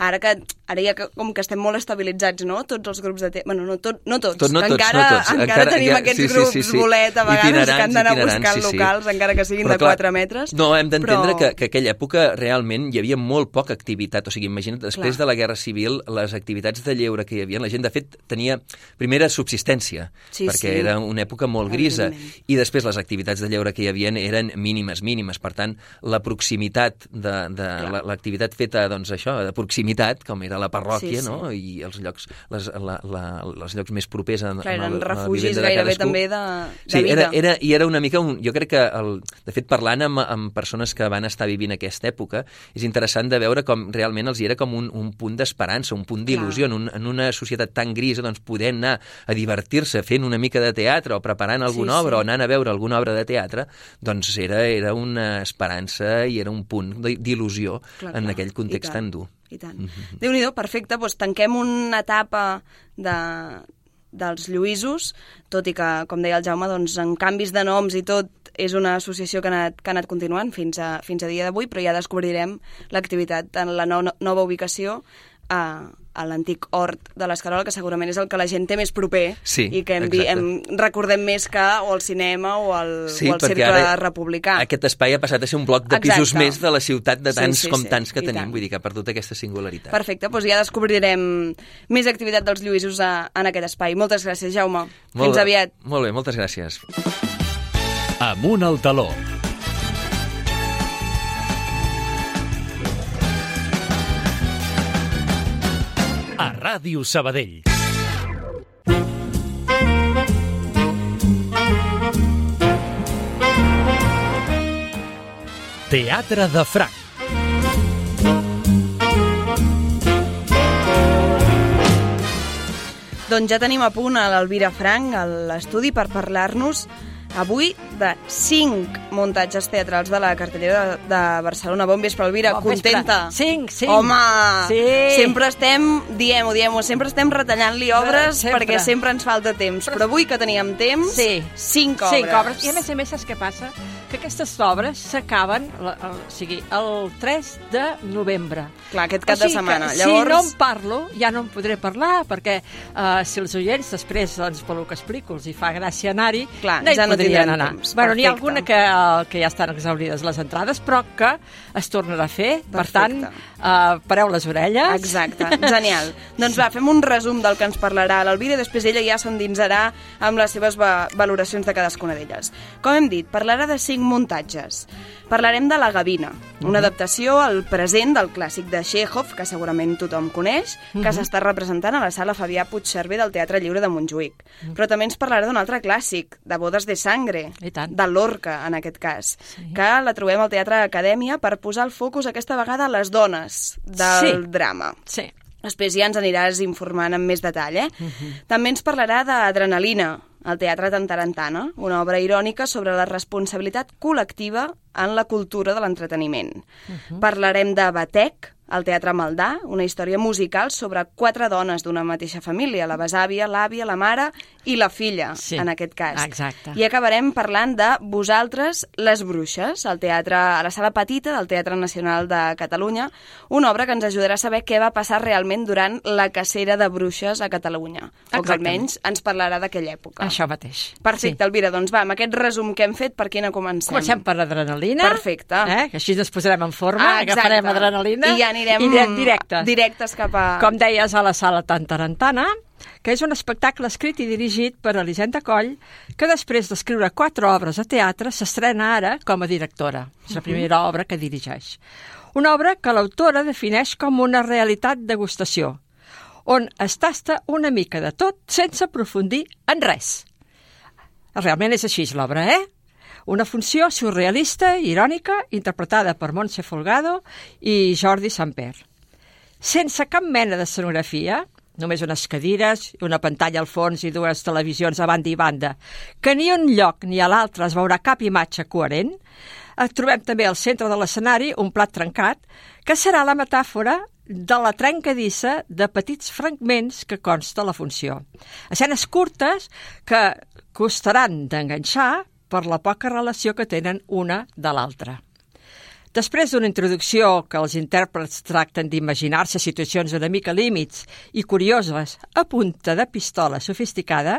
Speaker 1: ara que ara ja que, com que estem molt estabilitzats, no?, tots els grups de teatre... Bueno, no, tot, no tots, tot, no tots, encara, no tots. encara, encara tenim ja, aquests sí, grups sí, sí, sí. bolet, a vegades, que han d'anar buscant sí, locals, sí. encara que siguin però, de quatre metres.
Speaker 6: No, hem d'entendre però... que, que aquella època realment hi havia molt poca activitat, o sigui, imagina't, després clar. de la Guerra Civil, les activitats de lleure que hi havia, la gent, de fet, tenia primera subsistència, sí, perquè sí. era una època molt grisa, i després les activitats de lleure que hi havia eren mínimes, mínimes, per tant, la proximitat de, de l'activitat feta, doncs això, de proximitat, com era la parròquia, sí, sí. no?, i els llocs, les, la, la, els llocs més propers a,
Speaker 1: clar,
Speaker 6: a,
Speaker 1: eren
Speaker 6: a
Speaker 1: refugis gairebé també de, de
Speaker 6: sí,
Speaker 1: vida.
Speaker 6: Era, era, i era una mica, un, jo crec que, el, de fet, parlant amb, amb persones que van estar vivint aquesta època, és interessant de veure com realment els hi era com un, un punt d'esperança, un punt d'il·lusió, en, un, en una societat tan grisa, doncs poder anar a divertir-se fent una mica de teatre o preparant alguna sí, obra sí. o anant a veure alguna obra de teatre, doncs era, era una esperança i era un punt d'il·lusió en clar, aquell context tan dur.
Speaker 1: I tant. Mm-hmm. Déu-n'hi-do, perfecte. Doncs tanquem una etapa de, dels Lluïsos, tot i que, com deia el Jaume, doncs, en canvis de noms i tot, és una associació que ha anat, que ha anat continuant fins a, fins a dia d'avui, però ja descobrirem l'activitat en la no, nova ubicació a, a l'antic hort de l'Escarola, que segurament és el que la gent té més proper
Speaker 6: sí,
Speaker 1: i que hem, hem, recordem més que o el cinema o el,
Speaker 6: sí,
Speaker 1: o el cercle republicà.
Speaker 6: Aquest espai ha passat a ser un bloc de
Speaker 1: Exacte.
Speaker 6: pisos més de la ciutat de tants
Speaker 1: sí, sí,
Speaker 6: com
Speaker 1: sí,
Speaker 6: tants que
Speaker 1: i
Speaker 6: tenim,
Speaker 1: tant.
Speaker 6: vull dir que ha perdut aquesta singularitat.
Speaker 1: Perfecte, doncs ja descobrirem més activitat dels Lluïsos a, en aquest espai. Moltes gràcies, Jaume.
Speaker 6: Molt,
Speaker 1: Fins aviat.
Speaker 6: Molt bé, moltes gràcies.
Speaker 2: Amunt al taló. A Ràdio Sabadell. Teatre de Franc.
Speaker 1: Doncs ja tenim a punt a l'Elvira Franc a l'estudi per parlar-nos avui de cinc muntatges teatrals de la cartellera de, de Barcelona. Bon vespre, Elvira,
Speaker 7: bon
Speaker 1: contenta?
Speaker 7: Vespre. Cinc, cinc.
Speaker 1: Home,
Speaker 7: sí.
Speaker 1: Sempre estem, diem-ho, diem-ho, sempre estem retallant-li obres
Speaker 7: sempre.
Speaker 1: perquè sempre ens falta temps. Però, Però avui que teníem temps,
Speaker 7: sí.
Speaker 1: cinc obres.
Speaker 7: Cinc obres. I a més a més, saps què passa? Que aquestes obres s'acaben el, el, o sigui, el tres de novembre.
Speaker 1: Clar, aquest cap
Speaker 7: o sigui
Speaker 1: de setmana.
Speaker 7: Que,
Speaker 1: Llavors...
Speaker 7: Si no en parlo, ja no en podré parlar, perquè uh, si els oients després, doncs, pel que explico, els hi fa gràcia anar-hi,
Speaker 1: Clar,
Speaker 7: no hi
Speaker 1: ja no
Speaker 7: podrien anar.
Speaker 1: Temps.
Speaker 7: Bueno, n'hi ha
Speaker 1: Perfecte.
Speaker 7: alguna que, uh, que ja estan exaurides les entrades, però que es tornarà a fer.
Speaker 1: Perfecte.
Speaker 7: Per tant, uh, pareu les orelles.
Speaker 1: Exacte, genial. Doncs va, fem un resum del que ens parlarà l'Elvira i després ella ja s'endinsarà amb les seves va valoracions de cadascuna d'elles. Com hem dit, parlarà de cinc muntatges. Parlarem de La Gavina, una adaptació al present del clàssic de Txékhov, que segurament tothom coneix, que uh-huh. s'està representant a la sala Fabià Puigcerver del Teatre Lliure de Montjuïc. Uh-huh. Però també ens parlarà d'un altre clàssic, de Bodes de Sangre, de Lorca, en aquest cas, sí. que la trobem al Teatre Acadèmia per posar el focus aquesta vegada a les dones del
Speaker 7: sí.
Speaker 1: drama.
Speaker 7: Sí.
Speaker 1: Després ja ens aniràs informant amb més detall, eh?
Speaker 7: Uh-huh.
Speaker 1: També ens parlarà d'Adrenalina, al Teatre Tantarantana, una obra irònica sobre la responsabilitat col·lectiva en la cultura de l'entreteniment. Uh-huh. Parlarem de Batec, al Teatre Maldà, una història musical sobre quatre dones d'una mateixa família, la besàvia, l'àvia, la mare i la filla,
Speaker 7: sí,
Speaker 1: en aquest cas.
Speaker 7: Exacte.
Speaker 1: I acabarem parlant de Vosaltres, les bruixes, al teatre, a la sala petita del Teatre Nacional de Catalunya, una obra que ens ajudarà a saber què va passar realment durant la cacera de bruixes a Catalunya, o que almenys ens parlarà d'aquella època.
Speaker 7: Això mateix.
Speaker 1: Perfecte, sí. Elvira, doncs va, amb aquest resum que hem fet, per quina comencem?
Speaker 7: Comencem per Adrenalina.
Speaker 1: Perfecte.
Speaker 7: Eh? Que així ens posarem en forma,
Speaker 1: ah,
Speaker 7: agafarem Adrenalina
Speaker 1: i ja anirem
Speaker 7: i direm directes.
Speaker 1: directes cap a...
Speaker 7: Com deies, a la sala Tantarantana, que és un espectacle escrit i dirigit per Elisenda Coll, que després d'escriure quatre obres a teatre s'estrena ara com a directora. És la primera uh-huh. obra que dirigeix. Una obra que l'autora defineix com una realitat degustació, on es tasta una mica de tot sense aprofundir en res. Realment és així l'obra, eh? Una funció surrealista i irònica interpretada per Montse Folgado i Jordi Samper. Sense cap mena d'escenografia, només unes cadires, una pantalla al fons i dues televisions a banda i banda, que ni un lloc ni a l'altre es veurà cap imatge coherent, trobem també al centre de l'escenari un plat trencat, que serà la metàfora de la trencadissa de petits fragments que consta la funció. Escenes curtes que costaran d'enganxar per la poca relació que tenen una de l'altra. Després d'una introducció que els intèrprets tracten d'imaginar-se situacions una mica límits i curioses a punta de pistola sofisticada,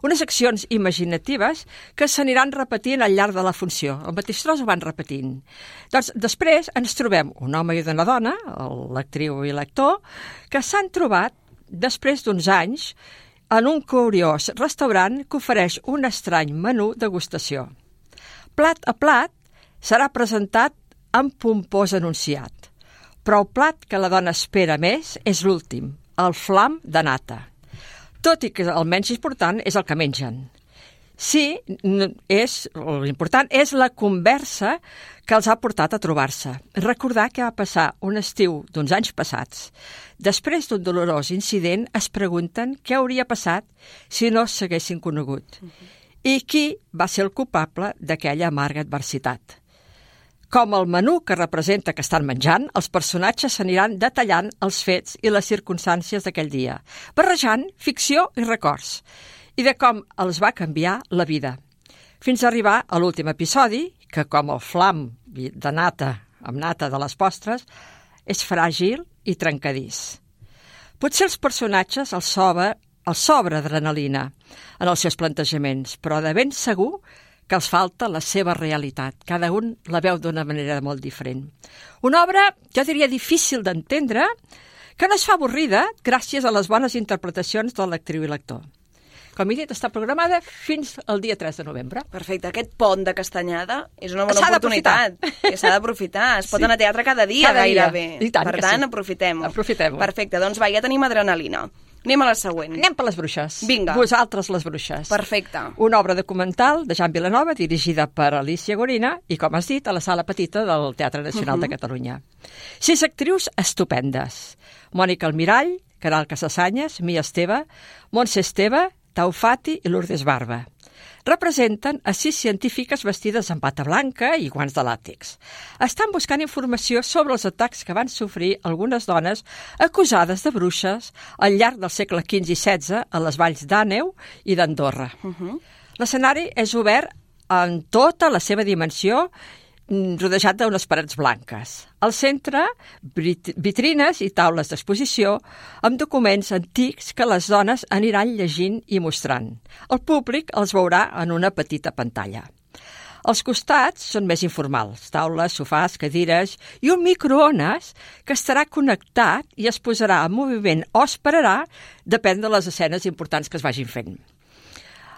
Speaker 7: unes accions imaginatives que s'aniran repetint al llarg de la funció. El mateix tros ho van repetint. Doncs després ens trobem un home i una dona, l'actriu i l'actor, que s'han trobat després d'uns anys en un curiós restaurant que ofereix un estrany menú degustació. Plat a plat serà presentat amb pompós enunciat, però el plat que la dona espera més és l'últim, el flam de nata. Tot i que el menys important és el que mengen. Sí, és, l'important és la conversa que els ha portat a trobar-se. Recordar que va passar un estiu d'uns anys passats. Després d'un dolorós incident es pregunten què hauria passat si no s'haguessin conegut i qui va ser el culpable d'aquella amarga adversitat. Com el menú que representa que estan menjant, els personatges s'aniran detallant els fets i les circumstàncies d'aquell dia, barrejant ficció i records, i de com els va canviar la vida, fins a arribar a l'últim episodi, que com el flam de nata, amb nata de les postres, és fràgil i trencadís. Potser els personatges els sobra, els sobra adrenalina en els seus plantejaments, però de ben segur que els falta la seva realitat. Cada un la veu d'una manera molt diferent. Una obra, jo diria, difícil d'entendre, que no es fa avorrida gràcies a les bones interpretacions de l'actriu i l'actor. Com he dit, està programada fins al dia tres de novembre.
Speaker 1: Perfecte. Aquest pont de Castanyada és una bona
Speaker 7: s'ha
Speaker 1: oportunitat. S'ha d'aprofitar. Es pot
Speaker 7: sí.
Speaker 1: anar a teatre cada dia,
Speaker 7: cada
Speaker 1: gairebé.
Speaker 7: Dia. I tant
Speaker 1: per
Speaker 7: que
Speaker 1: tant,
Speaker 7: sí.
Speaker 1: aprofitem-ho.
Speaker 7: Aprofitem-ho.
Speaker 1: Perfecte. Doncs va, ja tenim Adrenalina. Anem a la següent.
Speaker 7: Anem per les bruixes.
Speaker 1: Vinga.
Speaker 7: Vosaltres, les bruixes.
Speaker 1: Perfecte.
Speaker 7: Una obra documental de Jan Vilanova, dirigida per Alicia Gorina i, com has dit, a la Sala Petita del Teatre Nacional uh-huh. de Catalunya. Sis actrius estupendes. Mònica Almirall, Caral Casasanyes, Mia Esteve, Montse Esteve, Tau Fati i Lourdes Barba. Representen a sis científiques vestides amb bata blanca i guants de làtex. Estan buscant informació sobre els atacs que van sofrir algunes dones acusades de bruixes al llarg del segle quinze i setze a les valls d'Àneu i d'Andorra. Uh-huh. L'escenari és obert en tota la seva dimensió, rodejat d'unes parets blanques. Al centre, vitrines i taules d'exposició amb documents antics que les dones aniran llegint i mostrant. El públic els veurà en una petita pantalla. Els costats són més informals, taules, sofàs, cadires i un microones que estarà connectat i es posarà en moviment o esperarà, depèn de les escenes importants que es vagin fent.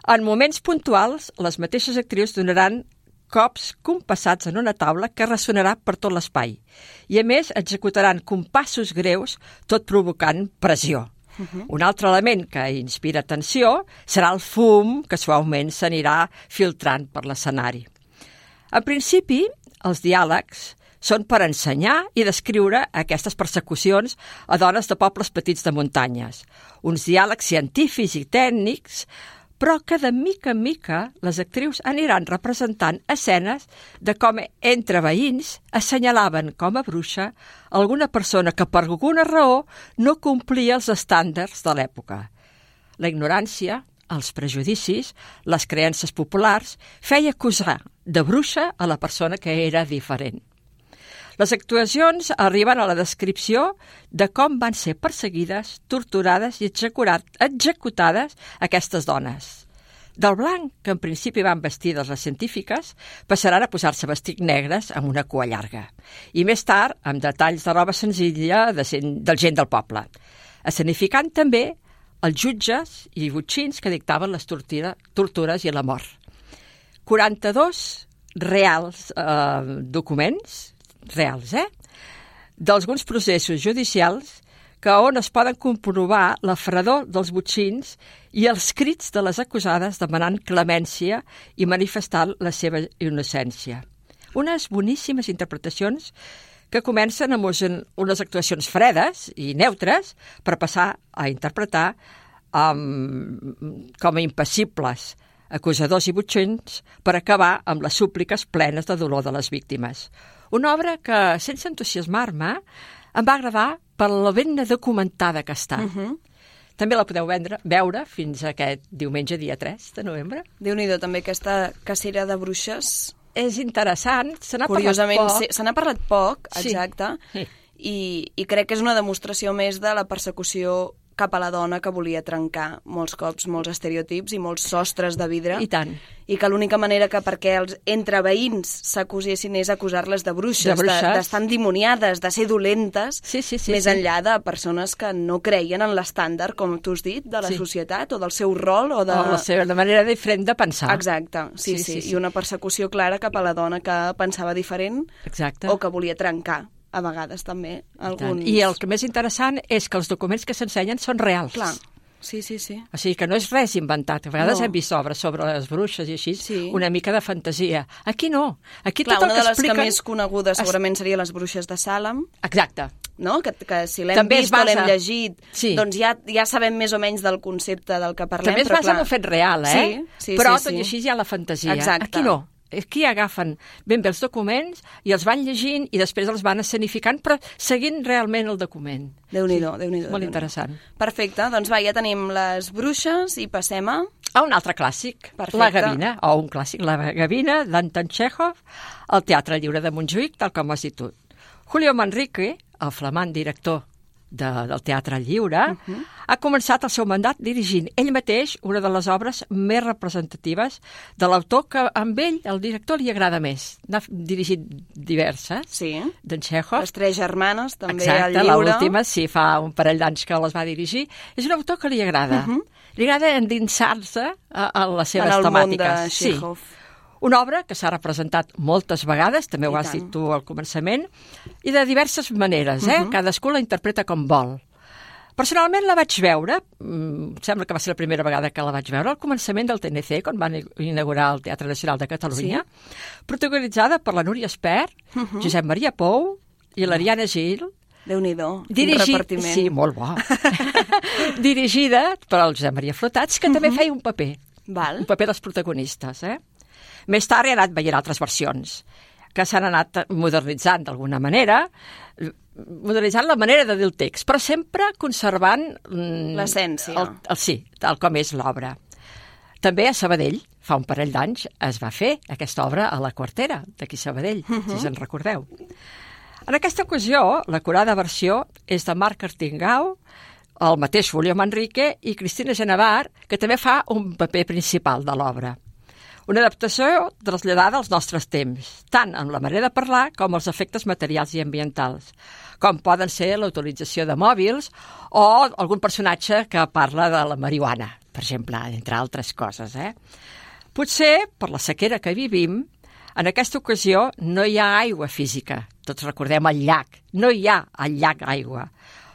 Speaker 7: En moments puntuals, les mateixes actrius donaran cops compassats en una taula que ressonarà per tot l'espai. I, a més, executaran compassos greus, tot provocant pressió. Uh-huh. Un altre element que inspira atenció serà el fum que suaument s'anirà filtrant per l'escenari. En principi, els diàlegs són per ensenyar i descriure aquestes persecucions a dones de pobles petits de muntanyes. Uns diàlegs científics i tècnics, però que de mica en mica les actrius aniran representant escenes de com entre veïns assenyalaven com a bruixa alguna persona que per alguna raó no complia els estàndards de l'època. La ignorància, els prejudicis, les creences populars feia acusar de bruixa a la persona que era diferent. Les actuacions arriben a la descripció de com van ser perseguides, torturades i executades aquestes dones. Del blanc, que en principi van vestides les científiques, passaran a posar-se vestits negres amb una cua llarga. I més tard, amb detalls de roba senzilla de del gent del poble. Escenificant també els jutges i botxins que dictaven les tortura, tortures i la mort. quaranta-dos reals eh, documents reals, eh? d'alguns processos judicials que on es poden comprovar la fredor dels botxins i els crits de les acusades demanant clemència i manifestant la seva innocència. Unes boníssimes interpretacions que comencen amb unes actuacions fredes i neutres per passar a interpretar um, com a impassibles acusadors i botxins per acabar amb les súpliques plenes de dolor de les víctimes. Una obra que, sense entusiasmar-me, em va agradar per la ben documentada que està. Uh-huh. També la podeu vendre, veure fins aquest diumenge, dia tres de novembre.
Speaker 1: Déu-n'hi-do, també aquesta cacera de bruixes.
Speaker 7: És interessant, se n'ha
Speaker 1: Curiosament,
Speaker 7: parlat poc.
Speaker 1: Se n'ha parlat poc,
Speaker 7: Sí.
Speaker 1: exacte,
Speaker 7: Sí.
Speaker 1: i, i crec que és una demostració més de la persecució cap a la dona que volia trencar molts cops, molts estereotips i molts sostres de vidre.
Speaker 7: I tant.
Speaker 1: I que l'única manera que perquè els entre veïns s'acusessin és acusar-les de bruixes,
Speaker 7: De bruixes.
Speaker 1: d'estar endimoniades, de ser dolentes,
Speaker 7: Sí, sí, sí,
Speaker 1: més
Speaker 7: sí.
Speaker 1: enllà de persones que no creien en l'estàndard, com tu has dit, de la
Speaker 7: Sí.
Speaker 1: societat o del seu rol o de...
Speaker 7: O la seva la manera diferent de pensar.
Speaker 1: Exacte, sí, sí,
Speaker 7: Sí, sí, sí.
Speaker 1: I una persecució clara cap a la dona que pensava diferent
Speaker 7: Exacte.
Speaker 1: o que volia trencar, a vegades també, alguns...
Speaker 7: I el que més interessant és que els documents que s'ensenyen són reals.
Speaker 1: Clar, sí, sí, sí.
Speaker 7: O sigui que no és res inventat. A vegades
Speaker 1: No.
Speaker 7: hem vist obres sobre les bruixes i així,
Speaker 1: Sí.
Speaker 7: una mica de fantasia. Aquí no. Aquí
Speaker 1: Clar,
Speaker 7: tot el
Speaker 1: una
Speaker 7: que
Speaker 1: de les
Speaker 7: expliquen...
Speaker 1: que més conegudes segurament seria Les bruixes de Salem,
Speaker 7: Exacte.
Speaker 1: no? que, que si l'hem
Speaker 7: També es
Speaker 1: vist o l'hem
Speaker 7: basa-
Speaker 1: llegit,
Speaker 7: Sí.
Speaker 1: doncs ja, ja sabem més o menys del concepte del que parlem.
Speaker 7: També es
Speaker 1: però
Speaker 7: basa en
Speaker 1: clar,
Speaker 7: un fet real, eh?
Speaker 1: Sí, sí,
Speaker 7: Però
Speaker 1: sí,
Speaker 7: tot
Speaker 1: sí.
Speaker 7: i així hi ha la fantasia.
Speaker 1: Exacte.
Speaker 7: Aquí no. Aquí agafen ben bé els documents i els van llegint i després els van escenificant, però seguint realment el document.
Speaker 1: Déu-n'hi-do, Déu-n'hi-do.
Speaker 7: Molt
Speaker 1: Déu-n'hi-do.
Speaker 7: interessant.
Speaker 1: Perfecte, doncs va, ja tenim les bruixes i passem a...
Speaker 7: A un altre clàssic,
Speaker 1: Perfecte.
Speaker 7: La Gavina, o un clàssic, La Gavina, d'Anton Chekhov, al Teatre Lliure de Montjuïc, tal com has dit tu. Julio Manrique, el flamant director de, del Teatre Lliure, uh-huh. ha començat el seu mandat dirigint ell mateix una de les obres més representatives de l'autor que amb ell, el director, li agrada més. N'ha dirigit diverses,
Speaker 1: Sí,
Speaker 7: d'en Chekhov.
Speaker 1: les tres germanes, també
Speaker 7: Exacte,
Speaker 1: al lliure.
Speaker 7: l'última, sí, fa un parell d'anys que les va dirigir. És un autor que li agrada. Uh-huh. Li agrada endinsar-se a, a les seves
Speaker 1: en el
Speaker 7: temàtiques.
Speaker 1: món de Chekhov.
Speaker 7: Sí. Una obra que s'ha representat moltes vegades, també ho
Speaker 1: I
Speaker 7: has
Speaker 1: tant.
Speaker 7: dit tu al començament, i de diverses maneres, eh? Uh-huh. Cadascú la interpreta com vol. Personalment la vaig veure, em sembla que va ser la primera vegada que la vaig veure, al començament del T N C, quan van inaugurar el Teatre Nacional de Catalunya, sí. protagonitzada per la Núria Espert, uh -huh. Josep Maria Pou i l'Ariana Gil.
Speaker 1: Déu-n'hi-do,
Speaker 7: Dirigi...
Speaker 1: un repartiment.
Speaker 7: Sí, molt bo. Dirigida per el Josep Maria Flotats, que uh -huh. també feia un paper,
Speaker 1: Val.
Speaker 7: un paper dels protagonistes. Eh? Més tard he anat veient altres versions, que s'han anat modernitzant d'alguna manera, modernitzant la manera de dir el text, però sempre conservant... Mm,
Speaker 1: l'essència.
Speaker 7: El, el, sí, tal com és l'obra. També a Sabadell, fa un parell d'anys, es va fer aquesta obra a la Quartera, d'aquí Sabadell, uh -huh. si se'n recordeu. En aquesta ocasió, la curada versió és de Marc Artingau, el mateix Julio Manrique i Cristina Genevar, que també fa un paper principal de l'obra. Una adaptació traslladada als nostres temps, tant en la manera de parlar com els efectes materials i ambientals, com poden ser la utilització de mòbils o algun personatge que parla de la marihuana, per exemple, entre altres coses. Eh? Potser, per la sequera que vivim, en aquesta ocasió no hi ha aigua física. Tots recordem el llac. No hi ha al llac aigua.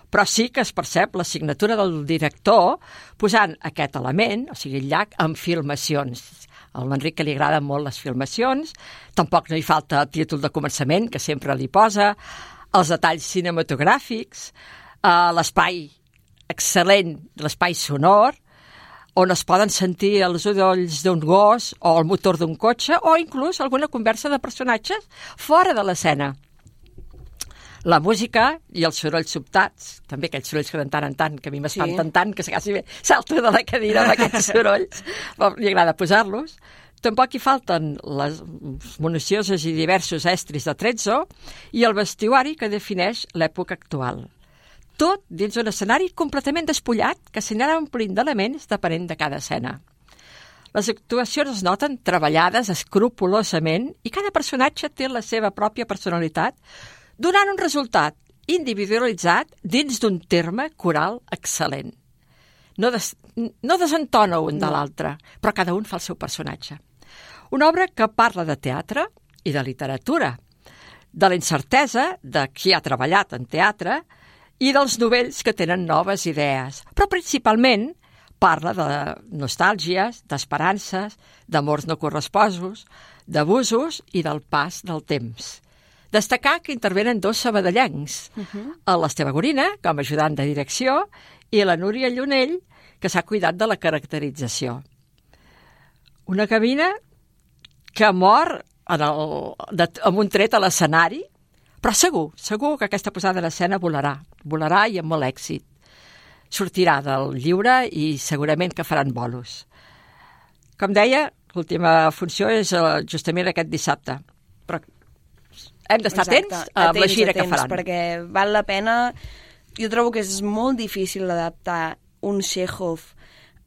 Speaker 7: Però sí que es percep la signatura del director posant aquest element, o sigui, el llac, en filmacions. Al Manric que li agraden molt les filmacions, tampoc no hi falta el títol de començament, que sempre li posa, els detalls cinematogràfics, eh, l'espai excel·lent, l'espai sonor, on es poden sentir els udolls d'un gos o el motor d'un cotxe o inclús alguna conversa de personatges fora de l'escena. La música i els sorolls sobtats, també aquells sorolls que de tant en tant, que a mi m'espanten sí. tant, que quasi bé salto de la cadira amb aquests sorolls, li agrada posar-los. Tampoc hi falten les minuciosos i diversos estris de Trezzo i el vestuari que defineix l'època actual. Tot dins un escenari completament despullat que s'anirà omplint d'elements depenent de cada escena. Les actuacions es noten treballades escrupolosament i cada personatge té la seva pròpia personalitat, donant un resultat individualitzat dins d'un terme coral excel·lent. No, des, no desentona un de l'altre, però cada un fa el seu personatge. Una obra que parla de teatre i de literatura, de la incertesa de qui ha treballat en teatre i dels novells que tenen noves idees, però principalment parla de nostàlgies, d'esperances, d'amors no corresposos, d'abusos i del pas del temps. Destacar que intervenen dos sabadellencs, uh -huh. l'Esteve Gorina, com a ajudant de direcció, i la Núria Llunell, que s'ha cuidat de la caracterització. Una cabina que mor en el, de, amb un tret a l'escenari, però segur, segur que aquesta posada en escena volarà, volarà i amb molt èxit. Sortirà del lliure i segurament que faran bolos. Com deia, l'última funció és justament aquest dissabte, però hem d'estar atents a la gira que faran.
Speaker 1: Perquè val la pena. Jo trobo que és molt difícil adaptar un Chekhov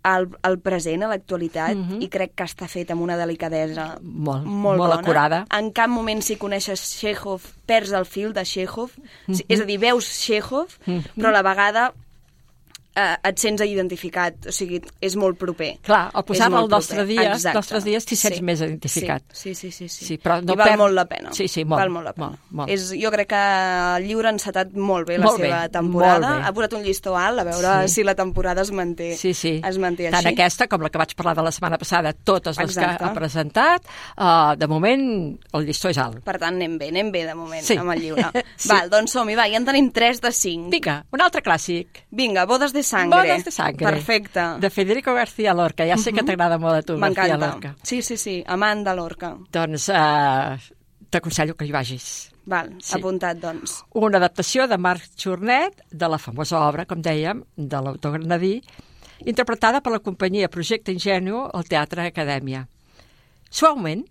Speaker 1: al, al present, a l'actualitat, mm -hmm. i crec que està fet amb una delicadesa
Speaker 7: molt,
Speaker 1: molt,
Speaker 7: molt
Speaker 1: bona.
Speaker 7: acurada.
Speaker 1: En cap moment, si coneixes Chekhov, perds el fil de Chekhov. Mm -hmm. És a dir, veus Chekhov, mm -hmm. però a la vegada eh, et sents identificat, o sigui, és molt proper.
Speaker 7: Clar, al posar el nostre dia, els nostres dies t'hi sents
Speaker 1: sí.
Speaker 7: més identificat.
Speaker 1: Sí, sí, sí. sí.
Speaker 7: sí però no
Speaker 1: I val
Speaker 7: perd...
Speaker 1: molt la pena.
Speaker 7: Sí, sí, molt.
Speaker 1: Val molt la pena.
Speaker 7: Molt, molt.
Speaker 1: És, jo crec que el llibre ha encetat molt bé
Speaker 7: molt
Speaker 1: la seva
Speaker 7: bé,
Speaker 1: temporada. Ha posat un llistó alt a veure
Speaker 7: sí.
Speaker 1: si la temporada es manté,
Speaker 7: sí, sí.
Speaker 1: es manté
Speaker 7: Tant
Speaker 1: així.
Speaker 7: aquesta com la que vaig parlar de la setmana passada, totes les
Speaker 1: Exacte.
Speaker 7: que ha presentat, uh, de moment el llistó és alt.
Speaker 1: Per tant, anem bé, anem bé de moment
Speaker 7: sí.
Speaker 1: amb el llibre.
Speaker 7: sí.
Speaker 1: Val, doncs som-hi, va, ja en tenim tres de cinc.
Speaker 7: Vinga, un altre clàssic.
Speaker 1: Vinga, Bodes de Sangre.
Speaker 7: Bodes de Sangre.
Speaker 1: Perfecte.
Speaker 7: De Federico García Lorca. Ja sé uh -huh. que t'agrada molt a tu, García Lorca.
Speaker 1: Sí, sí, sí, amant de Lorca.
Speaker 7: Doncs uh, t'aconsello que hi vagis.
Speaker 1: Val,
Speaker 7: sí.
Speaker 1: apuntat, doncs.
Speaker 7: Una adaptació de Marc Jornet de la famosa obra, com dèiem, de l'autor granadí, interpretada per la companyia Projecte Ingenu al Teatre Acadèmia. Suaument,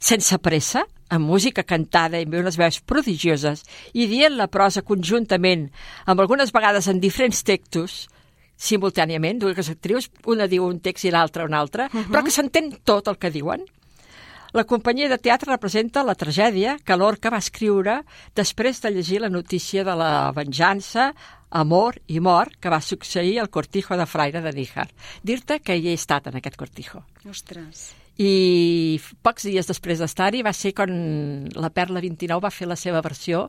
Speaker 7: sense pressa, amb música cantada i amb unes veus prodigioses i dient la prosa conjuntament, amb algunes vegades en diferents textos, simultàniament, dues actrius, una diu un text i l'altra un altre, uh -huh. però que s'entén tot el que diuen. La companyia de teatre representa la tragèdia que Lorca va escriure després de llegir la notícia de la venjança, amor i mort que va succeir al Cortijo de Fraire de Níjar. Dir-te que hi he estat en aquest Cortijo.
Speaker 1: Ostres.
Speaker 7: i pocs dies després d'estar-hi va ser quan la Perla vint-i-nou va fer la seva versió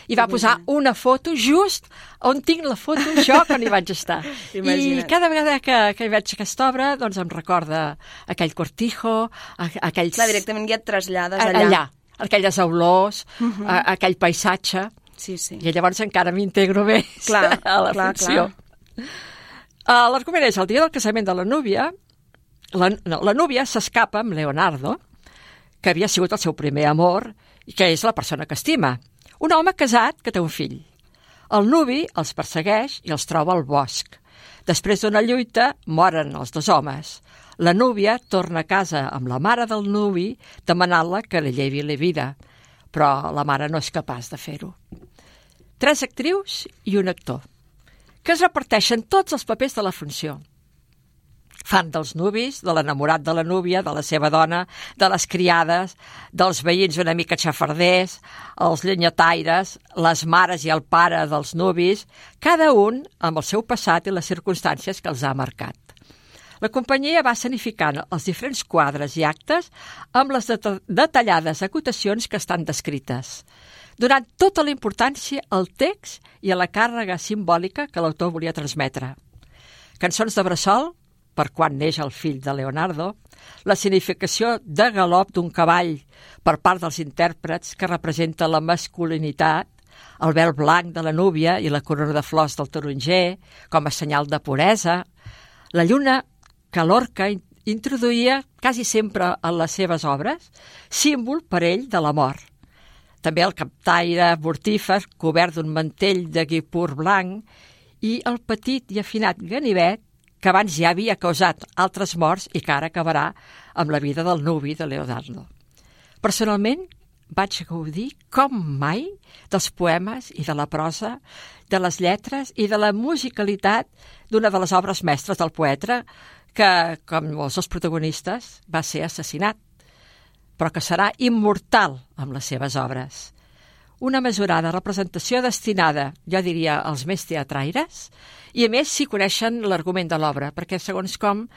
Speaker 7: i va posar una foto just on tinc la foto jo quan hi vaig estar. I cada vegada que, que hi veig aquesta obra doncs em recorda aquell cortijo, aquells...
Speaker 1: Clar, directament ja et trasllades allà.
Speaker 7: Allà, aquelles olors, uh -huh. a, aquell paisatge.
Speaker 1: Sí, sí.
Speaker 7: I llavors encara m'integro més
Speaker 1: clar,
Speaker 7: a la
Speaker 1: clar,
Speaker 7: funció. Uh, L'argument és el dia del casament de la núvia. La, no, la núvia s'escapa amb Leonardo, que havia sigut el seu primer amor i que és la persona que estima. Un home casat que té un fill. El nuvi els persegueix i els troba al bosc. Després d'una lluita, moren els dos homes. La núvia torna a casa amb la mare del nuvi demanant-la que li llevi la vida, però la mare no és capaç de fer-ho. Tres actrius i un actor, que es reparteixen tots els papers de la funció. Fan dels nuvis, de l'enamorat de la núvia, de la seva dona, de les criades, dels veïns una mica xafarders, els llenyataires, les mares i el pare dels nuvis, cada un amb el seu passat i les circumstàncies que els ha marcat. La companyia va escenificant els diferents quadres i actes amb les det detallades acotacions que estan descrites, donant tota la importància al text i a la càrrega simbòlica que l'autor volia transmetre. Cançons de bressol, per quan neix el fill de Leonardo, la significació de galop d'un cavall per part dels intèrprets que representa la masculinitat, el vel blanc de la núvia i la corona de flors del taronger com a senyal de puresa, la lluna que Lorca introduïa quasi sempre en les seves obres, símbol per ell de la mort. També el captaire mortífer cobert d'un mantell de guipur blanc i el petit i afinat ganivet que abans ja havia causat altres morts i que ara acabarà amb la vida del nuvi de Leonardo. Personalment, vaig gaudir com mai dels poemes i de la prosa, de les lletres i de la musicalitat d'una de les obres mestres del poeta que, com els dos protagonistes, va ser assassinat, però que serà immortal amb les seves obres. Una mesurada representació destinada, jo diria, als més teatraires, i a més si coneixen l'argument de l'obra, perquè segons com,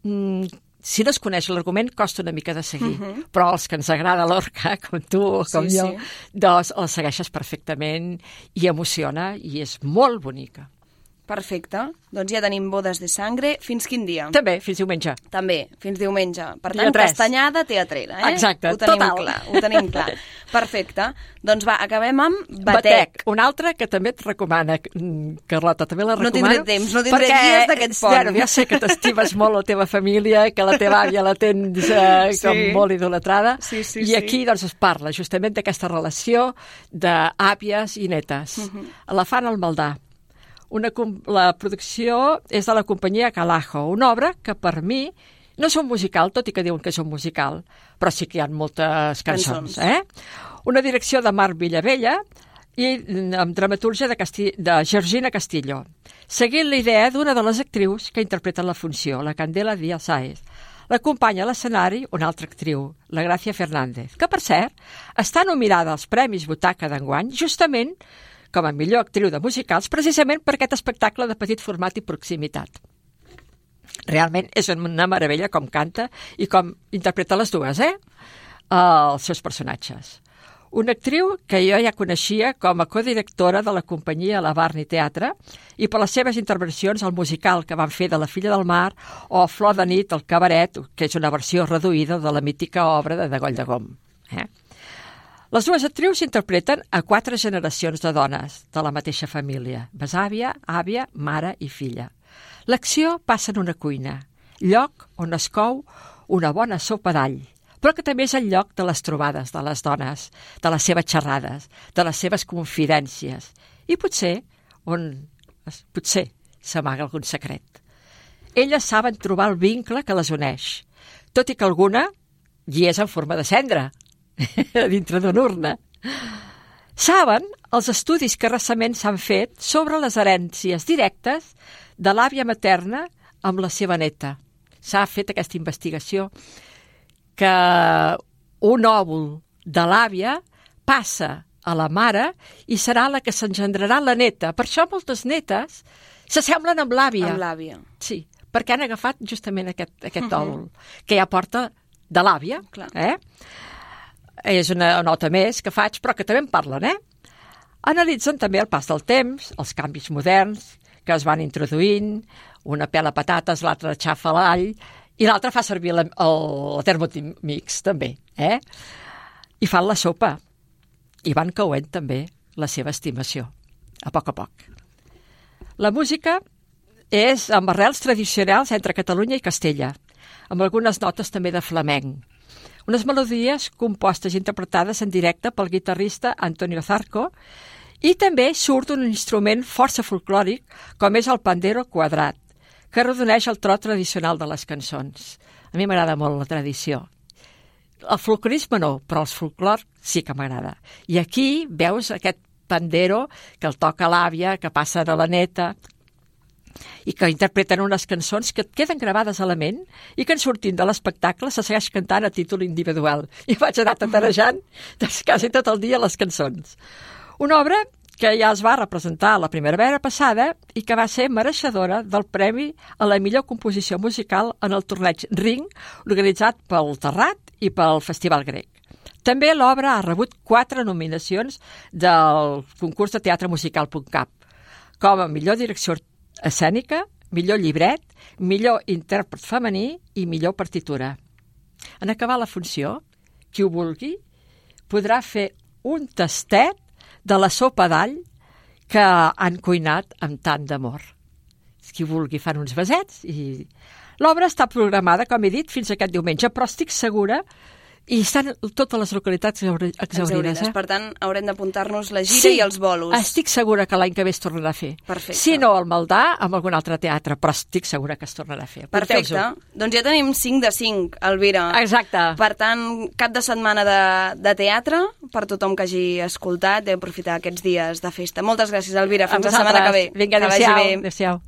Speaker 7: mmm, si no es coneix l'argument costa una mica de seguir, uh -huh. però els que ens agrada Lorca, com tu o com sí, jo, sí. doncs el segueixes perfectament i emociona i és molt bonica.
Speaker 1: Perfecte. Doncs ja tenim Bodes de Sangre. Fins quin dia?
Speaker 7: També, fins diumenge.
Speaker 1: També, fins diumenge. Per tant, castanyada teatrera, eh?
Speaker 7: Exacte,
Speaker 1: ho tenim
Speaker 7: total.
Speaker 1: clar, ho tenim clar. Perfecte. Doncs va, acabem amb Batec.
Speaker 7: Batec, una altra que també et recomana, Carlota, també la recomano.
Speaker 1: No tindré temps, no tindré dies d'aquest pont.
Speaker 7: Bueno, ja sé que t'estimes molt la teva família, que la teva àvia la tens eh, sí. com molt idolatrada,
Speaker 1: sí, sí,
Speaker 7: i aquí doncs es parla justament d'aquesta relació d'àvies i netes. Uh -huh. La fan al Maldà. Una, la producció és de la companyia Calajo, una obra que per mi no és un musical, tot i que diuen que és un musical, però sí que hi ha moltes cançons. Eh? Una direcció de Marc Villavella i amb dramatúrgia de, Casti de Georgina Castillo, seguint la idea d'una de les actrius que interpreten la funció, la Candela Díaz Sáez. L'acompanya a l'escenari una altra actriu, la Gràcia Fernández, que per cert està nominada als Premis Butaca d'enguany justament com a millor actriu de musicals, precisament per aquest espectacle de petit format i proximitat. Realment és una meravella com canta i com interpreta les dues, eh? Els seus personatges. Una actriu que jo ja coneixia com a codirectora de la companyia La Barni Teatre i per les seves intervencions al musical que van fer de La Filla del Mar o Flor de nit, el cabaret, que és una versió reduïda de la mítica obra de Degoll de Gom. Eh? Les dues actrius interpreten a quatre generacions de dones de la mateixa família, besàvia, àvia, mare i filla. L'acció passa en una cuina, lloc on es cou una bona sopa d'all, però que també és el lloc de les trobades de les dones, de les seves xerrades, de les seves confidències, i potser on potser s'amaga algun secret. Elles saben trobar el vincle que les uneix, tot i que alguna hi és en forma de cendra, dintre d'una urna. Saben els estudis que recentment s'han fet sobre les herències directes de l'àvia materna amb la seva neta. S'ha fet aquesta investigació que un òvul de l'àvia passa a la mare i serà la que s'engendrarà la neta. Per això moltes netes s'assemblen amb l'àvia.
Speaker 1: Amb l'àvia.
Speaker 7: Sí, perquè han agafat justament aquest, aquest òvul, que ja porta de l'àvia,
Speaker 1: Clar.
Speaker 7: eh? És una nota més que faig, però que també en parlen, eh? Analitzen també el pas del temps, els canvis moderns que es van introduint, una pela patates, l'altra xafa l'all, i l'altra fa servir la, el, el Thermomix, també, eh? I fan la sopa, i van cauent també la seva estimació, a poc a poc. La música és amb arrels tradicionals entre Catalunya i Castella, amb algunes notes també de flamenc. Unes melodies compostes i interpretades en directe pel guitarrista Antonio Zarco, i també surt un instrument força folclòric, com és el pandero quadrat, que arrodoneix el tro tradicional de les cançons. A mi m'agrada molt la tradició. El folclorisme no, però el folclor sí que m'agrada. I aquí veus aquest pandero que el toca l'àvia, que passa a la neta, i que interpreten unes cançons que et queden gravades a la ment i que en sortint de l'espectacle se segueix cantant a títol individual. I vaig anar tatarejant doncs, quasi tot el dia les cançons. Una obra que ja es va representar la primavera passada i que va ser mereixedora del Premi a la millor composició musical en el torneig Ring, organitzat pel Terrat i pel Festival Grec. També l'obra ha rebut quatre nominacions del concurs de teatre musical punt cap, com a millor direcció escènica, millor llibret, millor intèrpret femení i millor partitura. En acabar la funció, qui ho vulgui podrà fer un tastet de la sopa d'all que han cuinat amb tant d'amor. Qui vulgui fan uns besets i l'obra està programada, com he dit, fins aquest diumenge, però estic segura i estan totes les localitats exaurides. Eh?
Speaker 1: Per tant, haurem d'apuntar-nos la gira
Speaker 7: sí,
Speaker 1: i els bolos.
Speaker 7: Estic segura que l'any que ve es tornarà a fer.
Speaker 1: Perfecte.
Speaker 7: Si no, al Maldà, amb algun altre teatre, però estic segura que es tornarà a fer.
Speaker 1: Perfecte. Doncs ja tenim cinc de cinc, Elvira.
Speaker 7: Exacte.
Speaker 1: Per tant, cap de setmana de, de teatre, per tothom que hagi escoltat, d'aprofitar aquests dies de festa. Moltes gràcies, Elvira. Fins la setmana que ve.
Speaker 7: Vinga, adéu-siau. Adéu-siau.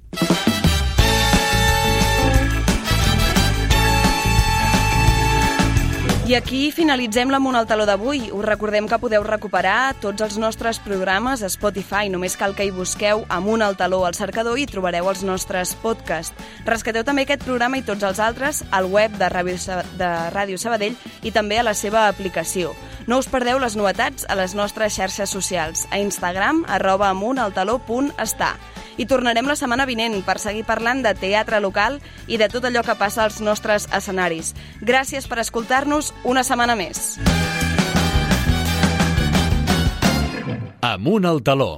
Speaker 1: I aquí finalitzem l'Amunt al Taló d'avui. Us recordem que podeu recuperar tots els nostres programes a Spotify. Només cal que hi busqueu Amunt al Taló al cercador i trobareu els nostres podcasts. Rescateu també aquest programa i tots els altres al web de Ràdio, de Ràdio Sabadell i també a la seva aplicació. No us perdeu les novetats a les nostres xarxes socials, a Instagram, arroba amuntaltaló punt està. I tornarem la setmana vinent per seguir parlant de teatre local i de tot allò que passa als nostres escenaris. Gràcies per escoltar-nos una setmana més.
Speaker 2: Amunt al Taló.